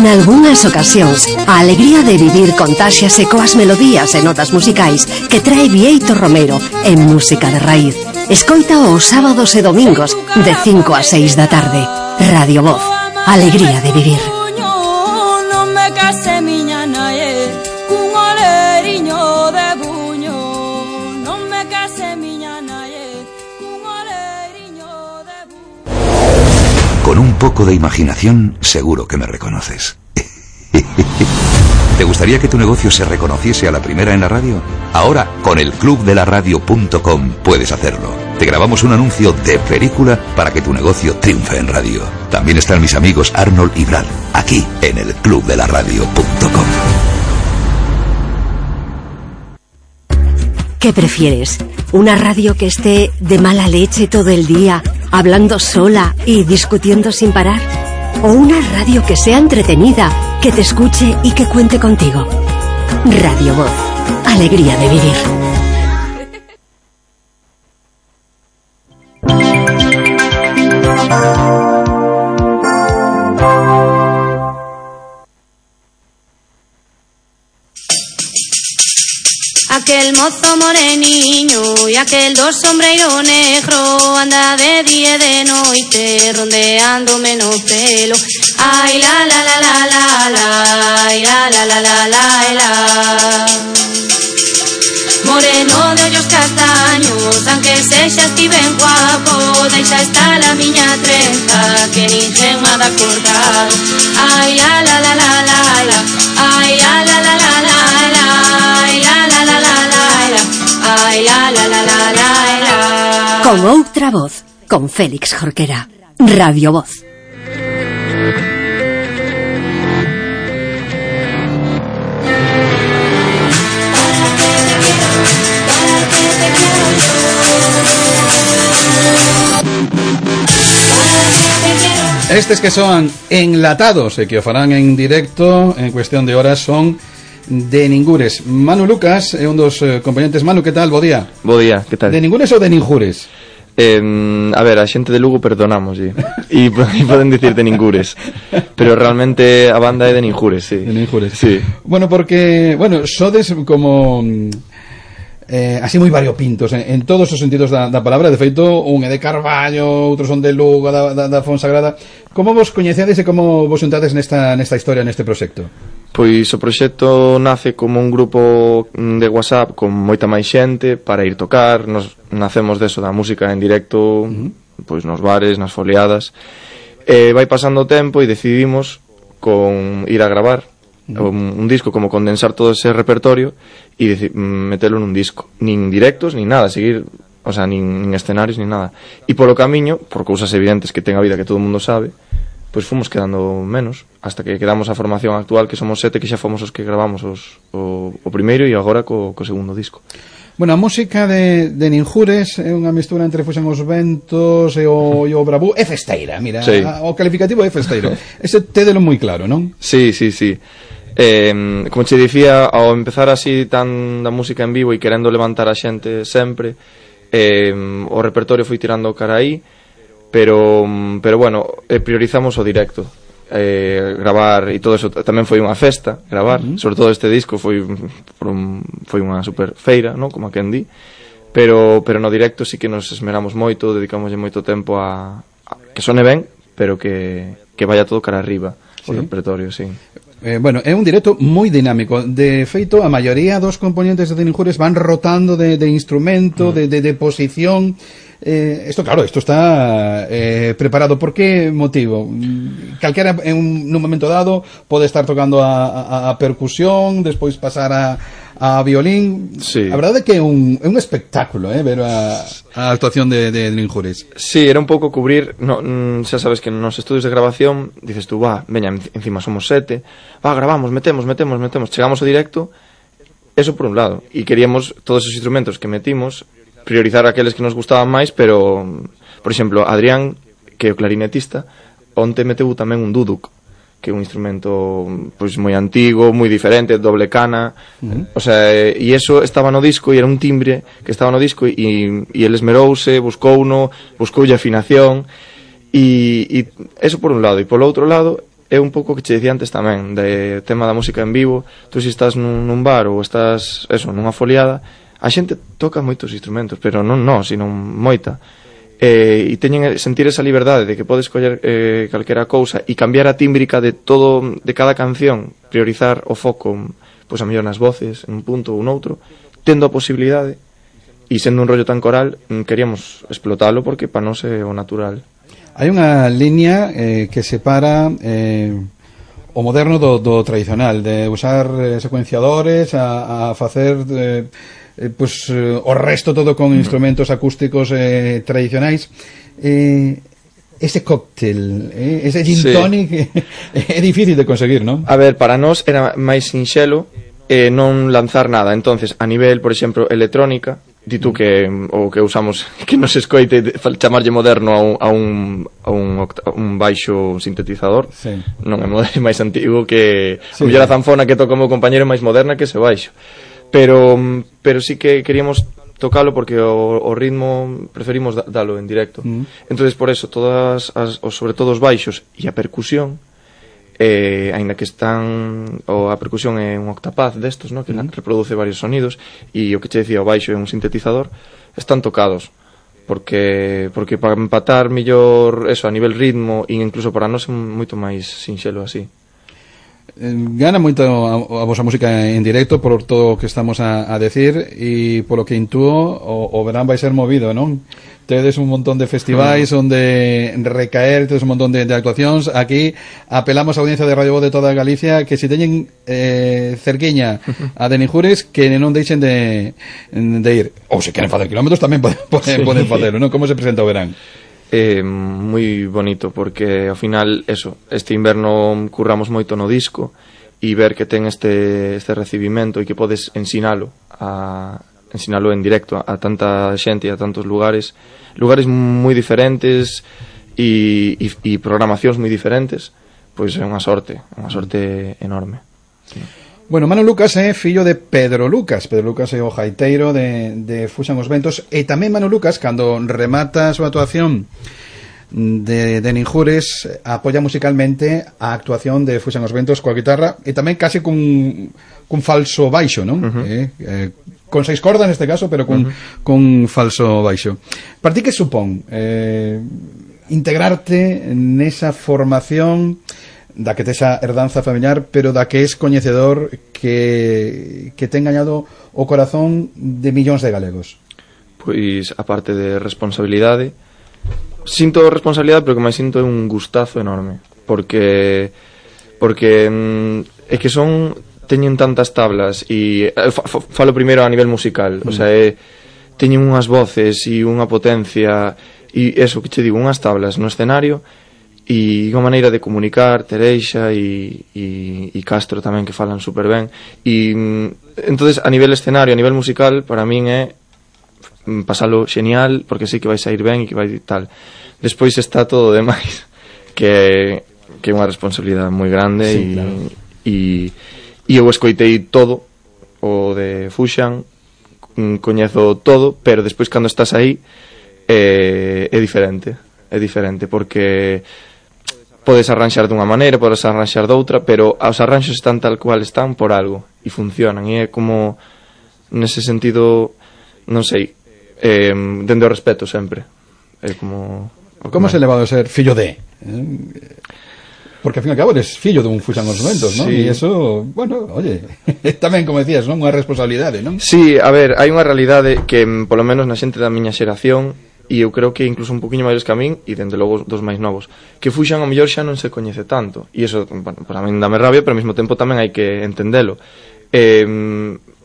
D: Nalgúnas ocasións, a alegría de vivir contáxiase coas melodías e notas musicais que trae Bieito Romero en Música de Raíz. Escoita os sábados e domingos de cinco a seis da tarde. Radio Voz, alegría de vivir.
H: Non me case miña nae cun oleriño de buño. Non me case miña nae cun oleriño de buño.
K: Con un poco de imaginación, seguro que me reconoces. ¿Te gustaría que tu negocio se reconociese a la primera en la radio? Ahora, con el club de la radio punto com puedes hacerlo. Te grabamos un anuncio de película para que tu negocio triunfe en radio. También están mis amigos Arnold y Brad, aquí en el club de la radio punto com.
D: ¿Qué prefieres? ¿Una radio que esté de mala leche todo el día, hablando sola y discutiendo sin parar? ¿O una radio que sea entretenida, que te escuche y que cuente contigo? Radio Voz, alegría de vivir.
H: Aquel mozo moreniño y aquel dos sombreiro negro anda de día e de noite rondeando menos pelo. Ay la la la la la la, ay la la la la la la. Moreno de ollos castaños, aunque sexa estiven guapo, deixa estar a miña trenza que ninguén me ha de cortar. Ay la la la la la la, ay la la la la la la, ay la la la la la la, ay la la la la la la.
D: Con outra voz, con Félix Jorquera. Radio Voz.
A: Estes que son enlatados e que o farán en directo en cuestión de horas son de Ningures. Manu Lucas é un dos eh, componentes. Manu, que tal? Bo día.
L: Bo día, que tal?
A: De Ningures ou de Ninjures?
L: Eh, a ver, a xente de Lugo perdonamos e, e poden dicir de Ningures, pero realmente a banda é de Ninjures, sí.
A: De Ninjures.
L: Sí.
A: Bueno, porque, bueno, sodes como eh, así moi variopintos en, en todos os sentidos da, da palabra. De feito, un é de Carballo, outros son de Lugo, da, da, da Fonsagrada. Como vos coñecedes e como vos xuntades nesta, nesta historia, neste proxecto?
L: Pois o proxecto nace como un grupo de WhatsApp con moita máis xente para ir tocar. Nos nacemos deso da música en directo, uh-huh. pois nos bares, nas foliadas. E vai pasando o tempo e decidimos con ir a gravar uh-huh. un, un disco, como condensar todo ese repertorio e deci- metelo nun disco. Nin directos, nin nada, seguir, o sea, nin, nin escenarios, nin nada. E polo camiño, por cousas evidentes que ten a vida que todo o mundo sabe, pois fomos quedando menos, hasta que quedamos a formación actual, que somos sete, que xa fomos os que gravamos os, o, o primeiro e agora co, co segundo disco.
A: Bueno, a música de, de Ninjures é unha mistura entre Fuxan os Ventos e o, e o Bravú. É festeira, mira, sí. a, o calificativo é festeiro. Ese tédelo moi claro, non?
L: Sí, sí, sí. Eh, como che dicía, ao empezar así tan da música en vivo e querendo levantar a xente sempre, eh, o repertorio foi tirando cara aí, pero pero bueno, eh, priorizamos o directo, eh, gravar e todo eso. Tamén foi unha festa gravar, uh-huh. sobre todo este disco foi un, foi unha super feira, ¿no? Como a quen di, pero pero no directo sí que nos esmeramos moito, dedicamos moito tempo a, a que sone ben, pero que, que vaya todo cara arriba, sí. O repertorio, sí.
A: Eh, bueno, é un directo moi dinámico. De feito, a maioría dos componentes de Ninjures van rotando de, de instrumento, uh-huh. de, de, de posición. Eh, esto, claro, esto está eh, preparado. ¿Por qué motivo? Calquera en un, un momento dado pode estar tocando a, a, a percusión, despois pasar a, a violín.
L: Sí.
A: A verdade é que é un, é un espectáculo, eh, ver a, a actuación de, de Ninjures.
L: Sí, era un pouco cubrir, no, xa sabes que nos estudios de grabación dices tú, va, veña, encima somos sete, va, grabamos, metemos, metemos, metemos, chegamos ao directo, eso por un lado, e queríamos todos os instrumentos que metimos priorizar aqueles que nos gustaban máis, pero por exemplo, Adrián, que é o clarinetista, onte meteu tamén un duduk, que é un instrumento pois moi antigo, moi diferente, doble cana, uh-huh. o sea, e eso estaba no disco e era un timbre que estaba no disco e, e el esmerouse, buscou uno, buscoulle afinación e, e eso por un lado, e polo outro lado é un pouco que che dicía antes tamén de tema da música en vivo. Tú se estás nun, nun bar ou estás, eso, nunha foliada, a xente toca moitos instrumentos, pero non non, sino moita. Eh, e teñen sentir esa liberdade de que podes coller eh, calquera cousa e cambiar a tímbrica de todo, de cada canción, priorizar o foco, pois a mellor nas voces, en un punto ou noutro, tendo a posibilidade, e sendo un rollo tan coral, queríamos explotalo porque para nós é o natural.
A: Hai unha liña eh, que separa eh, o moderno do, do tradicional, de usar eh, secuenciadores a, a facer eh, eh, pues, eh, o resto todo con mm. instrumentos acústicos eh, tradicionais. Eh, ese cóctel, eh, ese gin sí. tonic é difícil de conseguir, non?
L: A ver, para nós era máis sinxelo eh, non lanzar nada. Entonces, a nivel, por exemplo, electrónica, di tú que o que usamos que nos escoite chamarlle moderno a un, a un, a un, a un baixo sintetizador, sí. non é máis antigo que sí, a zanfona que toca o meu compañero é máis moderna que ese baixo, pero pero sí que queríamos tocalo porque o, o ritmo preferimos dalo en directo. Mm. Entonces por eso todas as, sobre todo os baixos e a percusión, eh, aínda que están o a percusión é un octapaz destos, ¿no? Que mm. reproduce varios sonidos, e o que che decía o baixo é un sintetizador, están tocados porque porque para empatar mellor eso a nivel ritmo e incluso para nós é moito máis sinxelo así.
A: Gana moito a, a vosa música en directo por todo o que estamos a, a decir, e polo que intúo o, o verán vai ser movido, non? Tedes un montón de festivais mm. onde recaer, tedes un montón de, de actuacións. Aquí apelamos a audiencia de Radio Voz de toda Galicia que se teñen eh, cerquiña a Denijures que non deixen de, de ir, ou se queren facer kilómetros tamén poden, poden, sí. poden facerlo, non? Como se presenta o verán?
L: Eh, moi bonito porque ao final eso, este inverno curramos moito no disco e ver que ten este, este recibimento e que podes ensinalo a ensinalo en directo a, a tanta xente e a tantos lugares lugares moi diferentes e, e, e programacións moi diferentes, pois é unha sorte unha sorte enorme. Sí.
A: Bueno, Manu Lucas é fillo de Pedro Lucas. Pedro Lucas é o gaiteiro de, de Fuxan os Ventos, e tamén Manu Lucas, cando remata a súa actuación de, de Ninjures, apoia musicalmente a actuación de Fuxan os Ventos coa guitarra e tamén case cun, cun falso baixo, non? Uh-huh. eh, eh, con seis cordas neste caso, pero con, uh-huh. con falso baixo. Para ti que supón eh, integrarte nesa formación da que tes a herdanza familiar, pero da que es coñecedor que, que ten gañado o corazón de millóns de galegos?
L: Pois, a parte de responsabilidade, sinto responsabilidade, pero que máis sinto é un gustazo enorme, porque porque mm, é que son teñen tantas tablas e falo primeiro a nivel musical, mm. o sea, é, teñen unhas voces e unha potencia e eso que che digo, unhas tablas no escenario e unha maneira de comunicar, Tereixa e, e, e Castro tamén, que falan super ben, e entonces a nivel escenario, a nivel musical, para min é pasalo xenial, porque sei que vai sair ben e que vai tal. Despois está todo o demais, que que é unha responsabilidade moi grande, sí, e, claro. e, e eu escoitei todo o de Fuxan, coñezo todo, pero despois cando estás aí é, é diferente, é diferente, porque podes arranxar dunha maneira, podes arranxar doutra, pero os arranxos están tal cual están por algo e funcionan, e é como nese sentido, non sei, eh, dende o respeto sempre. É como
A: como se levado a ser fillo de? Eh? Porque ao fin e ao cabo eres fillo dun Fuxan os Ventos, non?
L: Sí.
A: E eso, bueno, oye, tamén como decías, non? Unha responsabilidade, non?
L: Sí, a ver, hai unha realidade que polo menos na xente da miña xeración, e eu creo que incluso un poquinho máis que a min, e dende logo dos máis novos, que Fuxan ao mellor xa non se coñece tanto, e iso, bueno, para min dame rabia, pero ao mesmo tempo tamén hai que entendelo. Eh,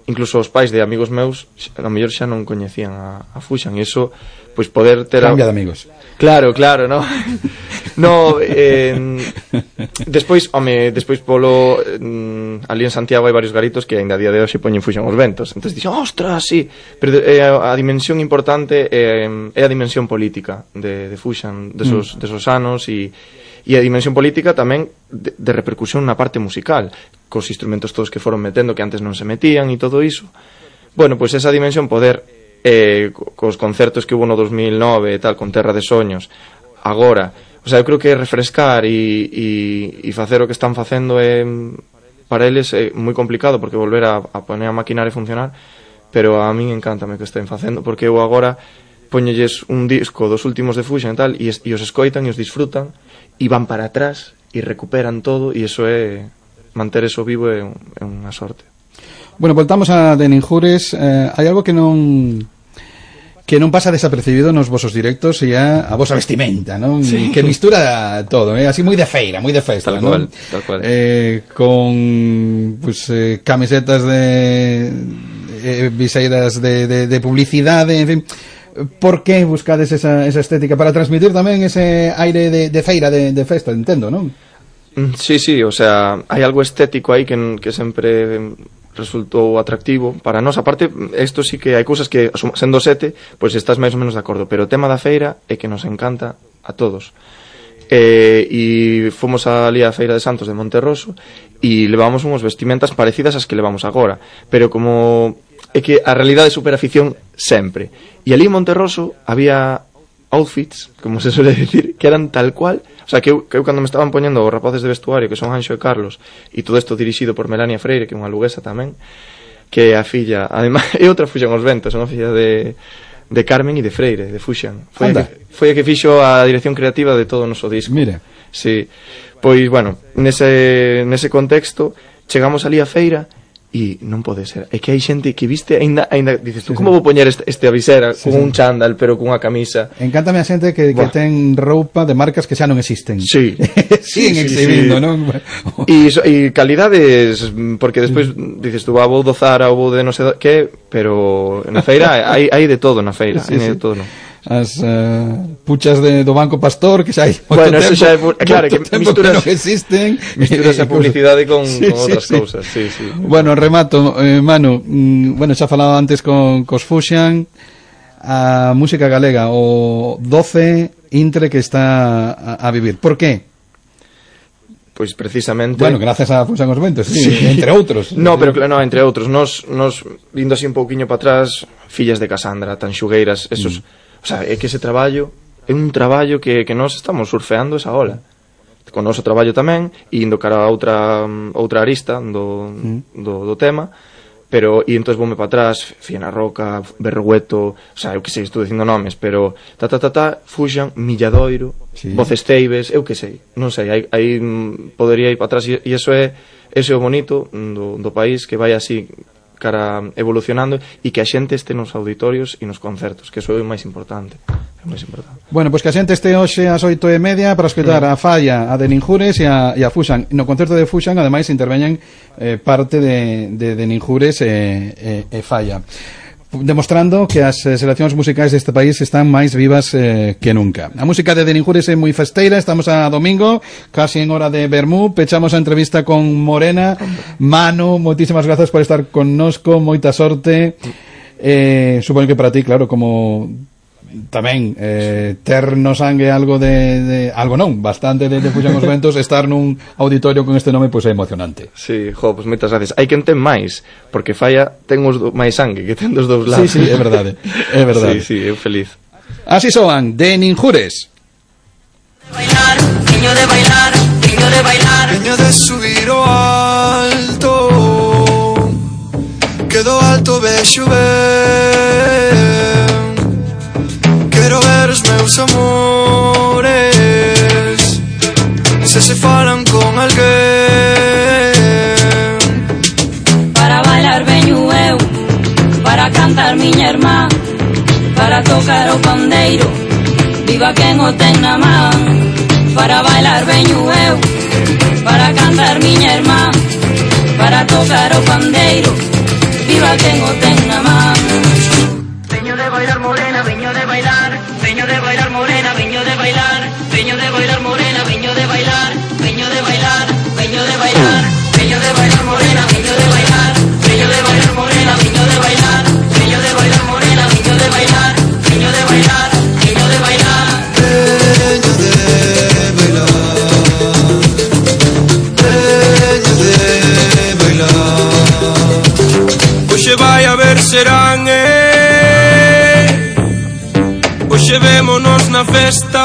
L: incluso os pais de amigos meus ao mellor xa non coñecían a, a Fuxan, e iso, pois poder ter...
A: Cambia de amigos.
L: Claro, claro, no? No, eh, despois, home, despois polo eh, ali en Santiago hai varios garitos que ainda a día de hoxe poñen Fuxan os Ventos. Entonces dixo, ostras, sí, pero eh, a dimensión importante eh, é a dimensión política de, de Fuxan desos, mm. desos anos, e E a dimensión política tamén de, de repercusión na parte musical, cos instrumentos todos que foron metendo que antes non se metían e todo iso. Bueno, pois esa dimensión poder eh, cos concertos que hubo no dos mil nove e tal, con Terra de Soños, agora, o sea, eu creo que refrescar e, e, e facer o que están facendo é, para eles é moi complicado, porque volver a, a poner a maquinaria a funcionar, pero a min encántame que estén facendo, porque eu agora poñelles un disco dos últimos de Fusion e tal, e, e os escoitan e os disfrutan, e van para atrás e recuperan todo, e iso é, manter eso vivo é, un, é unha sorte.
A: Bueno, voltamos a de Ninjures. eh, hai algo que non que non pasa desapercibido nos vosos directos e a, a vosa vestimenta, non?
L: Sí.
A: Que mistura todo, eh? Así moi de feira, moi de festa,
L: tal
A: non?
L: cual, tal cual.
A: Eh, con pues, eh, camisetas de eh, viseiras de, de, de publicidade, en fin. Por que buscades esa, esa estética? Para transmitir tamén ese aire de, de feira, de, de festa, entendo, non?
L: Sí, sí, o sea, hai algo estético aí que, que sempre resultou atractivo para nós. Aparte, isto sí que hai cousas que, sendo sete, pois pues estás máis ou menos de acordo, pero o tema da feira é que nos encanta a todos. Eh, e fomos ali á Feira de Santos de Monterroso e levamos unhas vestimentas parecidas ás que levamos agora, pero como é que a realidade supera a ficción sempre. E ali en Monterroso había outfits, como se suele decir, que eran tal cual. O sea, que eu, que eu cando me estaban poñendo os rapaces de vestuario, que son Anxo e Carlos, e todo isto dirixido por Melania Freire, que é unha luguesa tamén, que é a filla, ademais, é outra Fuxan os ventos, é unha filla de, de Carmen e de Freire, de Fuxan. Foi, a que, foi a que fixo a dirección creativa de todo o noso disco.
A: Mira.
L: Sí. Pois, bueno, nese, nese contexto, chegamos ali á feira, e non pode ser, é que hai xente que viste aínda, aínda dices tú, sí, como sí. Vou poñer este, este avisera sí, con sí. un chándal pero cunha camisa.
A: Encántame a xente que, que ten roupa de marcas que xa non existen.
L: Sí.
A: Siguen sí, exhibindo, sí. non?
L: E, e calidades, porque despois dices tú, ah, vou do Zara ou vou de non sei que, pero na feira hai, hai de todo na feira, sí, hai sí. de todo, non?
A: As uh, puchas de, do Banco Pastor que xa hai
L: bueno,
A: tempo,
L: eso xa é, claro, que misturas,
A: que non existen,
L: misturas a publicidade con, sí, con outras sí, cousas sí. Sí, sí.
A: Bueno, remato, eh, Manu, mm, bueno, xa falaba antes con cos Fuxan, a música galega, o doce intre que está a, a vivir. Por qué?
L: Pois precisamente...
A: Bueno, gracias a Fuxan os Ventos, sí, sí. entre outros.
L: No, pero no, entre outros, nos, nos vindo así un pouquiño para atrás, Fillas de Casandra, Tanxugueiras, esos... Mm. O sea, é que ese traballo é un traballo que, que nós estamos surfeando esa ola. Con o noso traballo tamén, e indo cara a outra, outra arista do, mm. do, do tema, pero, e entón voume para atrás, Fiena Roca, Berrogueto, o sea, eu que sei, estou dicindo nomes, pero ta ta ta ta, Fuxan, Milladoiro, sí. Voces Teibes, eu que sei, non sei, aí, aí podería ir para atrás, e iso é, ese é o bonito do, do país, que vai así cara evolucionando e que a xente este nos auditorios e nos concertos, que eso é o máis importante, é o máis importante.
A: Bueno, pois pues que a xente este hoxe ás oito e media para escoitar mm. a Falla, a de Ninjures e a, e a Fuxan. No concerto de Fuxan, ademais, interveñen eh, parte de, de, de Ninjures e, e, e Falla, demostrando que as eh, seleccións musicais deste país están máis vivas eh, que nunca. A música de De Ninjures é moi festeira, estamos a domingo, casi en hora de vermú, pechamos a entrevista con Morena. Manu, moitísimas grazas por estar connosco, moita sorte. Eh, supoño que para ti, claro, como tamén eh, ter no sangue algo de, de algo non, bastante de, de Fuxan os Ventos, estar nun auditorio con este nome pois pues, é emocionante.
L: Sí, jo, pois pues, moitas gracias. Hai quen ten máis, porque Falla ten os do, máis sangue que ten dos dous lados.
A: Sí, sí, é verdade. É verdade.
L: Sí, sí, eu feliz.
A: Así soan De Ninjures.
M: Bailar, niño de bailar, niño de bailar, niño de subir o alto. Quedo alto, vexo ben. Quero ver os meus amores, se se falan con alguén.
H: Para bailar veño eu, para cantar miña irmá, para tocar o pandeiro, viva quen o ten na man. Para bailar veño eu, para cantar miña irmá, para tocar o pandeiro, viva quen o ten na man.
M: Veño de bailar morena, veño de bailar, veño de bailar morena, veño de bailar, veño de bailar morena, veño de bailar, veño de bailar, veño de bailar, veño de bailar morena, veño de bailar, veño de bailar morena, veño de bailar, veño de bailar morena, veño de bailar, veño de bailar, veño de bailar, veño de bailar.
E: Hoxe vai a ver serán, eh. Hoxe vémonos na festa,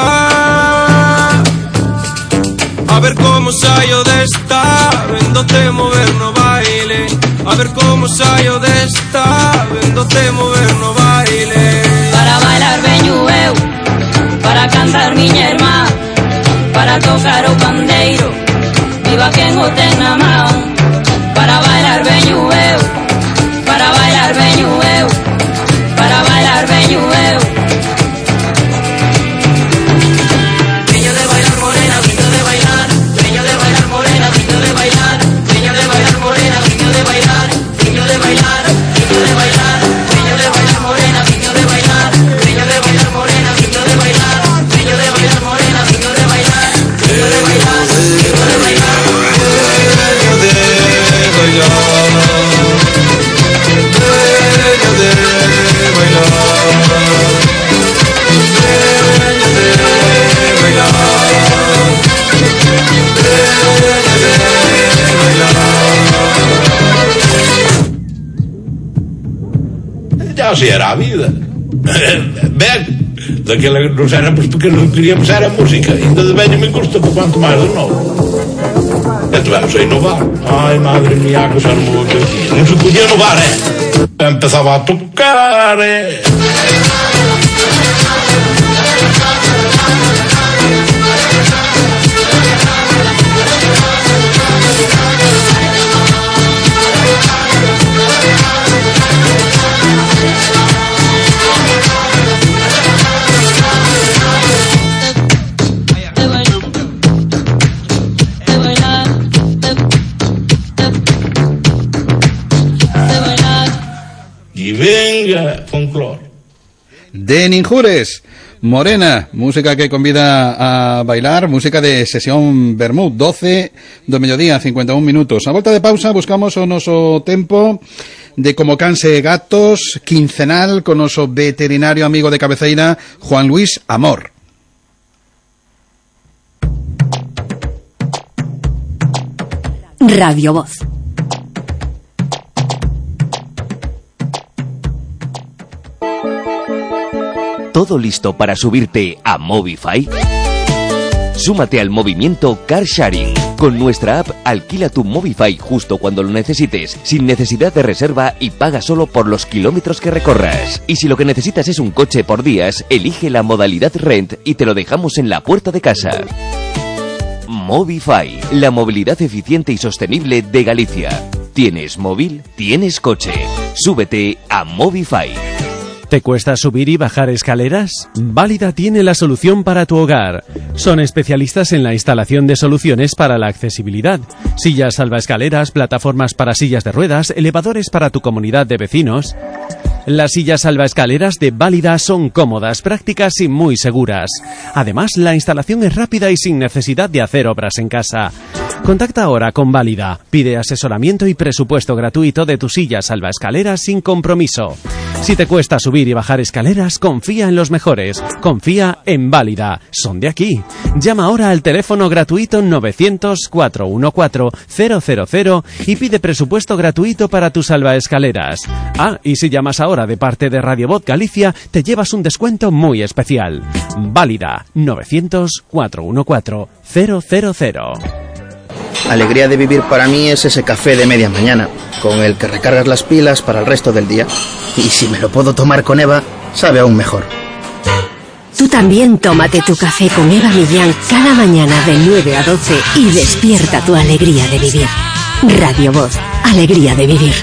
E: a ver como saio desta, vendote mover no baile. A ver como saio desta, vendote mover no baile.
H: Para bailar veño eu, para cantar miña irmá, para tocar o pandeiro, viva quen o ten na man. Para bailar veño eu, para bailar veño eu, para bailar veño eu.
M: Veño de bailar morena, veño de bailar, veño de bailar morena, veño de bailar, veño de bailar morena, veño de bailar, veño de bailar, veño de bailar, veño de bailar morena, veño de bailar, veño de bailar morena, veño de bailar, veño de bailar morena, veño de bailar, veño de bailar, veño de bailar, veño de bailar.
N: Ya así era a vida. Ben, daquela nos éramos porque non queríamos era a música. Ainda de veño me gusta, por quanto máis de novo. E tivemos a inovar. Ai, madre mía, que xa non me que non se podía inovar, eh. Empezaba a tocar, eh. Venga, folclor.
A: De Ninjures, Morena, música que convida a bailar, música de sesión Bermud, doce do mediodía, cincuenta e un minutos. A volta de pausa buscamos o noso tempo de Como Canse Gatos, quincenal, con noso veterinario amigo de cabeceira, Juan Luis Amor.
D: Radio Voz.
O: ¿Todo listo para subirte a Movify? Súmate al movimiento Car Sharing. Con nuestra app alquila tu Movify justo cuando lo necesites, sin necesidad de reserva y paga solo por los kilómetros que recorras. Y si lo que necesitas es un coche por días, elige la modalidad Rent y te lo dejamos en la puerta de casa. Movify, la movilidad eficiente y sostenible de Galicia. ¿Tienes móvil? ¿Tienes coche? Súbete a Movify.
I: ¿Te cuesta subir y bajar escaleras? Válida tiene la solución para tu hogar. Son especialistas en la instalación de soluciones para la accesibilidad. Sillas salvaescaleras, plataformas para sillas de ruedas, elevadores para tu comunidad de vecinos. Las sillas salvaescaleras de Válida son cómodas, prácticas y muy seguras. Además, la instalación es rápida y sin necesidad de hacer obras en casa. Contacta ahora con Válida. Pide asesoramiento y presupuesto gratuito de tu silla salvaescaleras sin compromiso. Si te cuesta subir y bajar escaleras, confía en los mejores. Confía en Válida. Son de aquí. Llama ahora al teléfono gratuito novecientos, cuatrocientos catorce, cero cero cero y pide presupuesto gratuito para tus salvaescaleras. Ah, y si llamas ahora de parte de Radio Voz Galicia, te llevas un descuento muy especial. Válida. novecientos, cuatrocientos catorce, cero cero cero.
P: Alegría de vivir para mí es ese café de media mañana, con el que recargas las pilas para el resto del día. Y si me lo puedo tomar con Eva, sabe aún mejor.
D: Tú también tómate tu café con Eva Millán cada mañana de nueve a doce y despierta tu alegría de vivir. Radio Voz, alegría de vivir.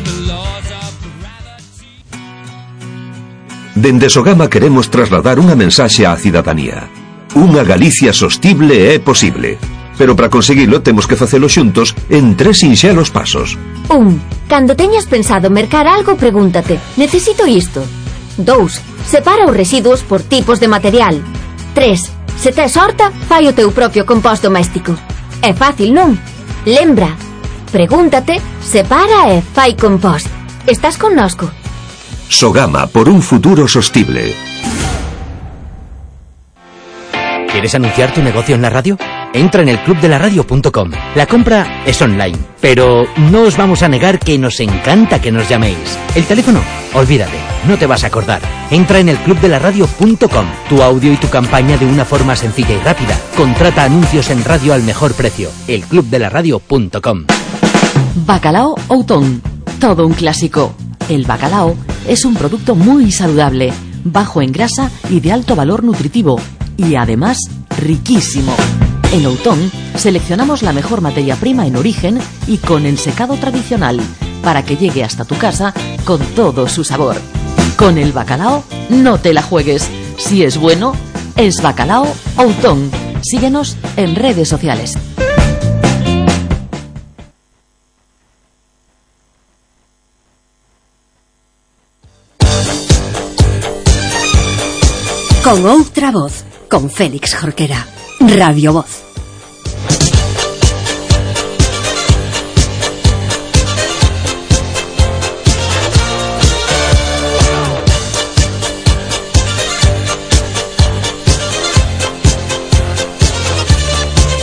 K: Dende Sogama queremos trasladar unha mensaxe á cidadanía. Unha Galicia sostible é posible. Pero para conseguilo temos que facelo xuntos en tres sinxelos pasos.
Q: Un. Cando teñas pensado mercar algo, pregúntate: necesito isto? Dous. Separa os residuos por tipos de material. Tres. Se tes horta, fai o teu propio compost doméstico. É fácil, non? Lembra. Pregúntate, separa e fai compost. Estás connosco.
K: Sogama, por un futuro sostible.
R: ¿Quieres anunciar tu negocio en la radio? Entra en el club de la radio punto com. La compra es online, pero no os vamos a negar que nos encanta que nos llaméis. El teléfono, olvídate, no te vas a acordar. Entra en el club de la radio punto com. Tu audio y tu campaña de una forma sencilla y rápida. Contrata anuncios en radio al mejor precio. el club de la radio punto com.
C: Bacalao Outón, todo un clásico. El bacalao es un producto muy saludable, bajo en grasa y de alto valor nutritivo, y además riquísimo. En Outón seleccionamos la mejor materia prima en origen y con ensecado tradicional, para que llegue hasta tu casa con todo su sabor. Con el bacalao no te la juegues. Si es bueno, es Bacalao Outón. Síguenos en redes sociales.
D: Con outra voz, con Félix Jorquera. Radio Voz.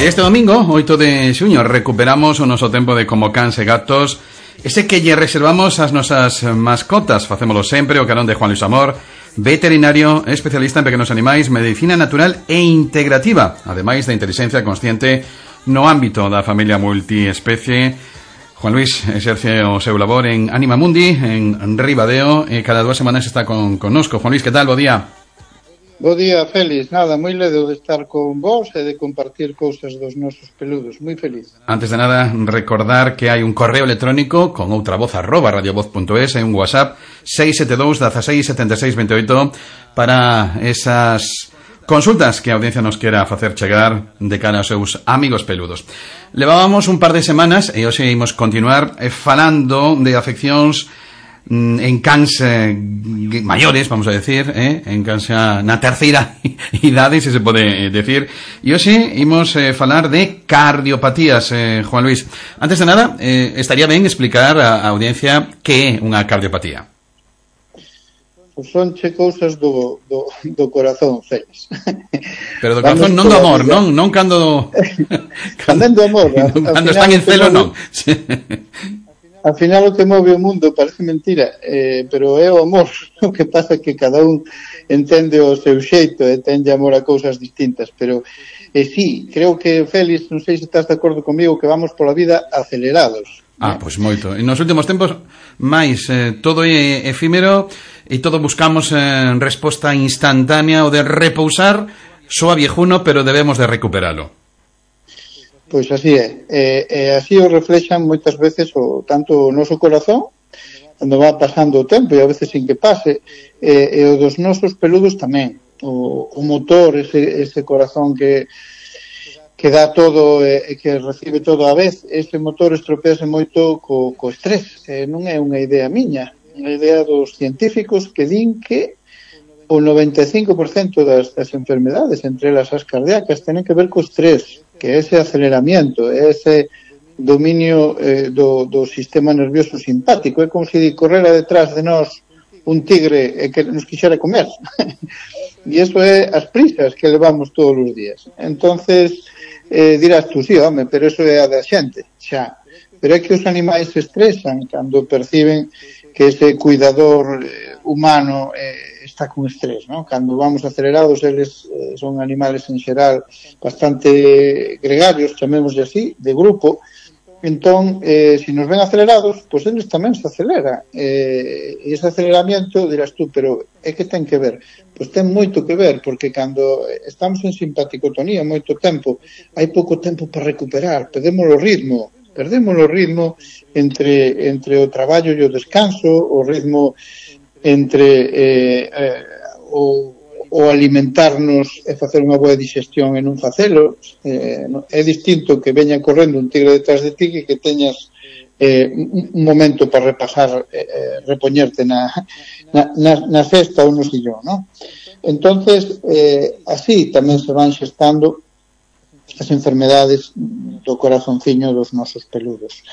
A: Este domingo, oito de xuño, recuperamos o noso tempo de Como Cans e Gatos, ese que lle reservamos ás nosas mascotas. Facémolo sempre o carón de Juan Luis Amor, veterinario, especialista en pequenos animais, medicina natural e integrativa, ademais da inteligencia consciente no ámbito da familia multiespecie. Juan Luis exerce o seu labor en Animamundi, en Ribadeo, e cada dúas semanas está con, connosco. Juan Luis, que tal? Bo día.
S: Bo día, Félix. Nada, moi ledo de estar con vos e de compartir cousas dos nosos peludos. Moi feliz.
A: Antes de nada, recordar que hai un correo electrónico con outra voz arroba radiovoz punto es e un WhatsApp seis sete dous, dezasseis, setenta e seis, veintioito para esas consultas que a audiencia nos quera facer chegar de cara aos seus amigos peludos. Levábamos un par de semanas e hoxe imos continuar falando de afeccións en cans eh, maiores, vamos a decir, eh, en cans na terceira idade, se se pode decir, e hoxe imos eh, falar de cardiopatías, eh, Juan Luis. Antes de nada, eh, estaría ben explicar a, a audiencia que é unha cardiopatía.
S: Pois son che cousas do, do, do corazón, Félix.
A: Pero do corazón non do amor, non, non cando
S: cando do amor,
A: cando están en celo non.
S: Al final o que move o mundo parece mentira, eh, pero é o amor. O que pasa é que cada un entende o seu xeito e ten amor a cousas distintas, pero eh, sí, creo que, Félix, non sei se estás de acordo comigo, que vamos pola vida acelerados.
A: Ah, pois moito. En nos últimos tempos, máis, eh, todo é efímero e todo buscamos eh, resposta instantánea o de repousar soa viejuno, pero debemos de recuperalo.
S: Pois así é, e, e así o reflexan moitas veces o tanto o noso corazón, cando va pasando o tempo e a veces sin que pase, e, e o dos nosos peludos tamén, o, o motor, ese, ese corazón que que dá todo e que recibe todo a vez, ese motor estropease moito co, co estrés, e non é unha idea miña, é unha idea dos científicos que din que o noventa e cinco por cento das, das enfermedades, entre elas as cardíacas, tenen que ver co estrés, que ese aceleramiento, ese dominio eh, do, do sistema nervioso simpático. É como se correra detrás de nós un tigre e que nos quixera comer. E iso é as prisas que levamos todos os días. Entonces, eh, dirás tú, sí, home, pero eso é a da xente, xa. Pero é que os animais se estresan cando perciben que ese cuidador eh, humano eh, está con estrés, ¿no? Cando vamos acelerados, eles eh, son animales en xeral bastante gregarios, chamémoslle así, de grupo. Entón, eh, se nos ven acelerados, pois eles tamén se acelera. Eh, e ese aceleramiento, dirás tú, pero é que ten que ver? Pois ten moito que ver, porque cando estamos en simpaticotonía moito tempo, hai pouco tempo para recuperar, perdemos o ritmo, perdemos o ritmo entre, entre o traballo e o descanso, o ritmo entre eh, eh, o, o alimentarnos e facer unha boa digestión e non facelo. Eh, é distinto que veña correndo un tigre detrás de ti que que teñas eh, un momento para repasar, eh, repoñerte na, na, na, na cesta ou no sillón, ¿no? Entonces, eh, así tamén se van xestando as enfermedades do corazonciño dos nosos peludos.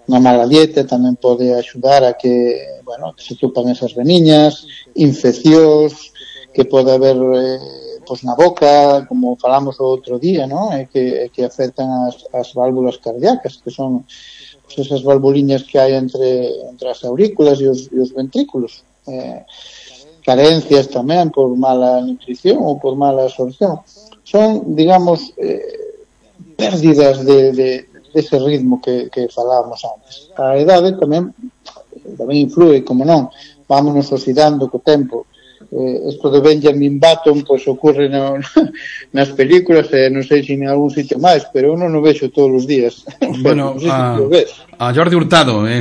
S: Unha mala dieta tamén pode axudar a que, bueno, que se tupan esas veniñas, infeccións, que pode haber eh, pois na boca, como falamos o outro día, non? É que, é que afectan as, as válvulas cardíacas, que son pois, esas valvuliñas que hai entre, entre as aurículas e os, e os ventrículos. Eh, carencias tamén por mala nutrición ou por mala absorción. Son, digamos, eh, pérdidas de, de, de ese ritmo que, que falábamos antes. A idade tamén tamén influe, como non, vámonos oxidando co tempo. Eh, isto de Benjamin Button pois ocurre no, nas películas e eh, non sei se en algún sitio máis, pero eu non o vexo todos os días.
A: Bueno, a, a Jordi Hurtado eh,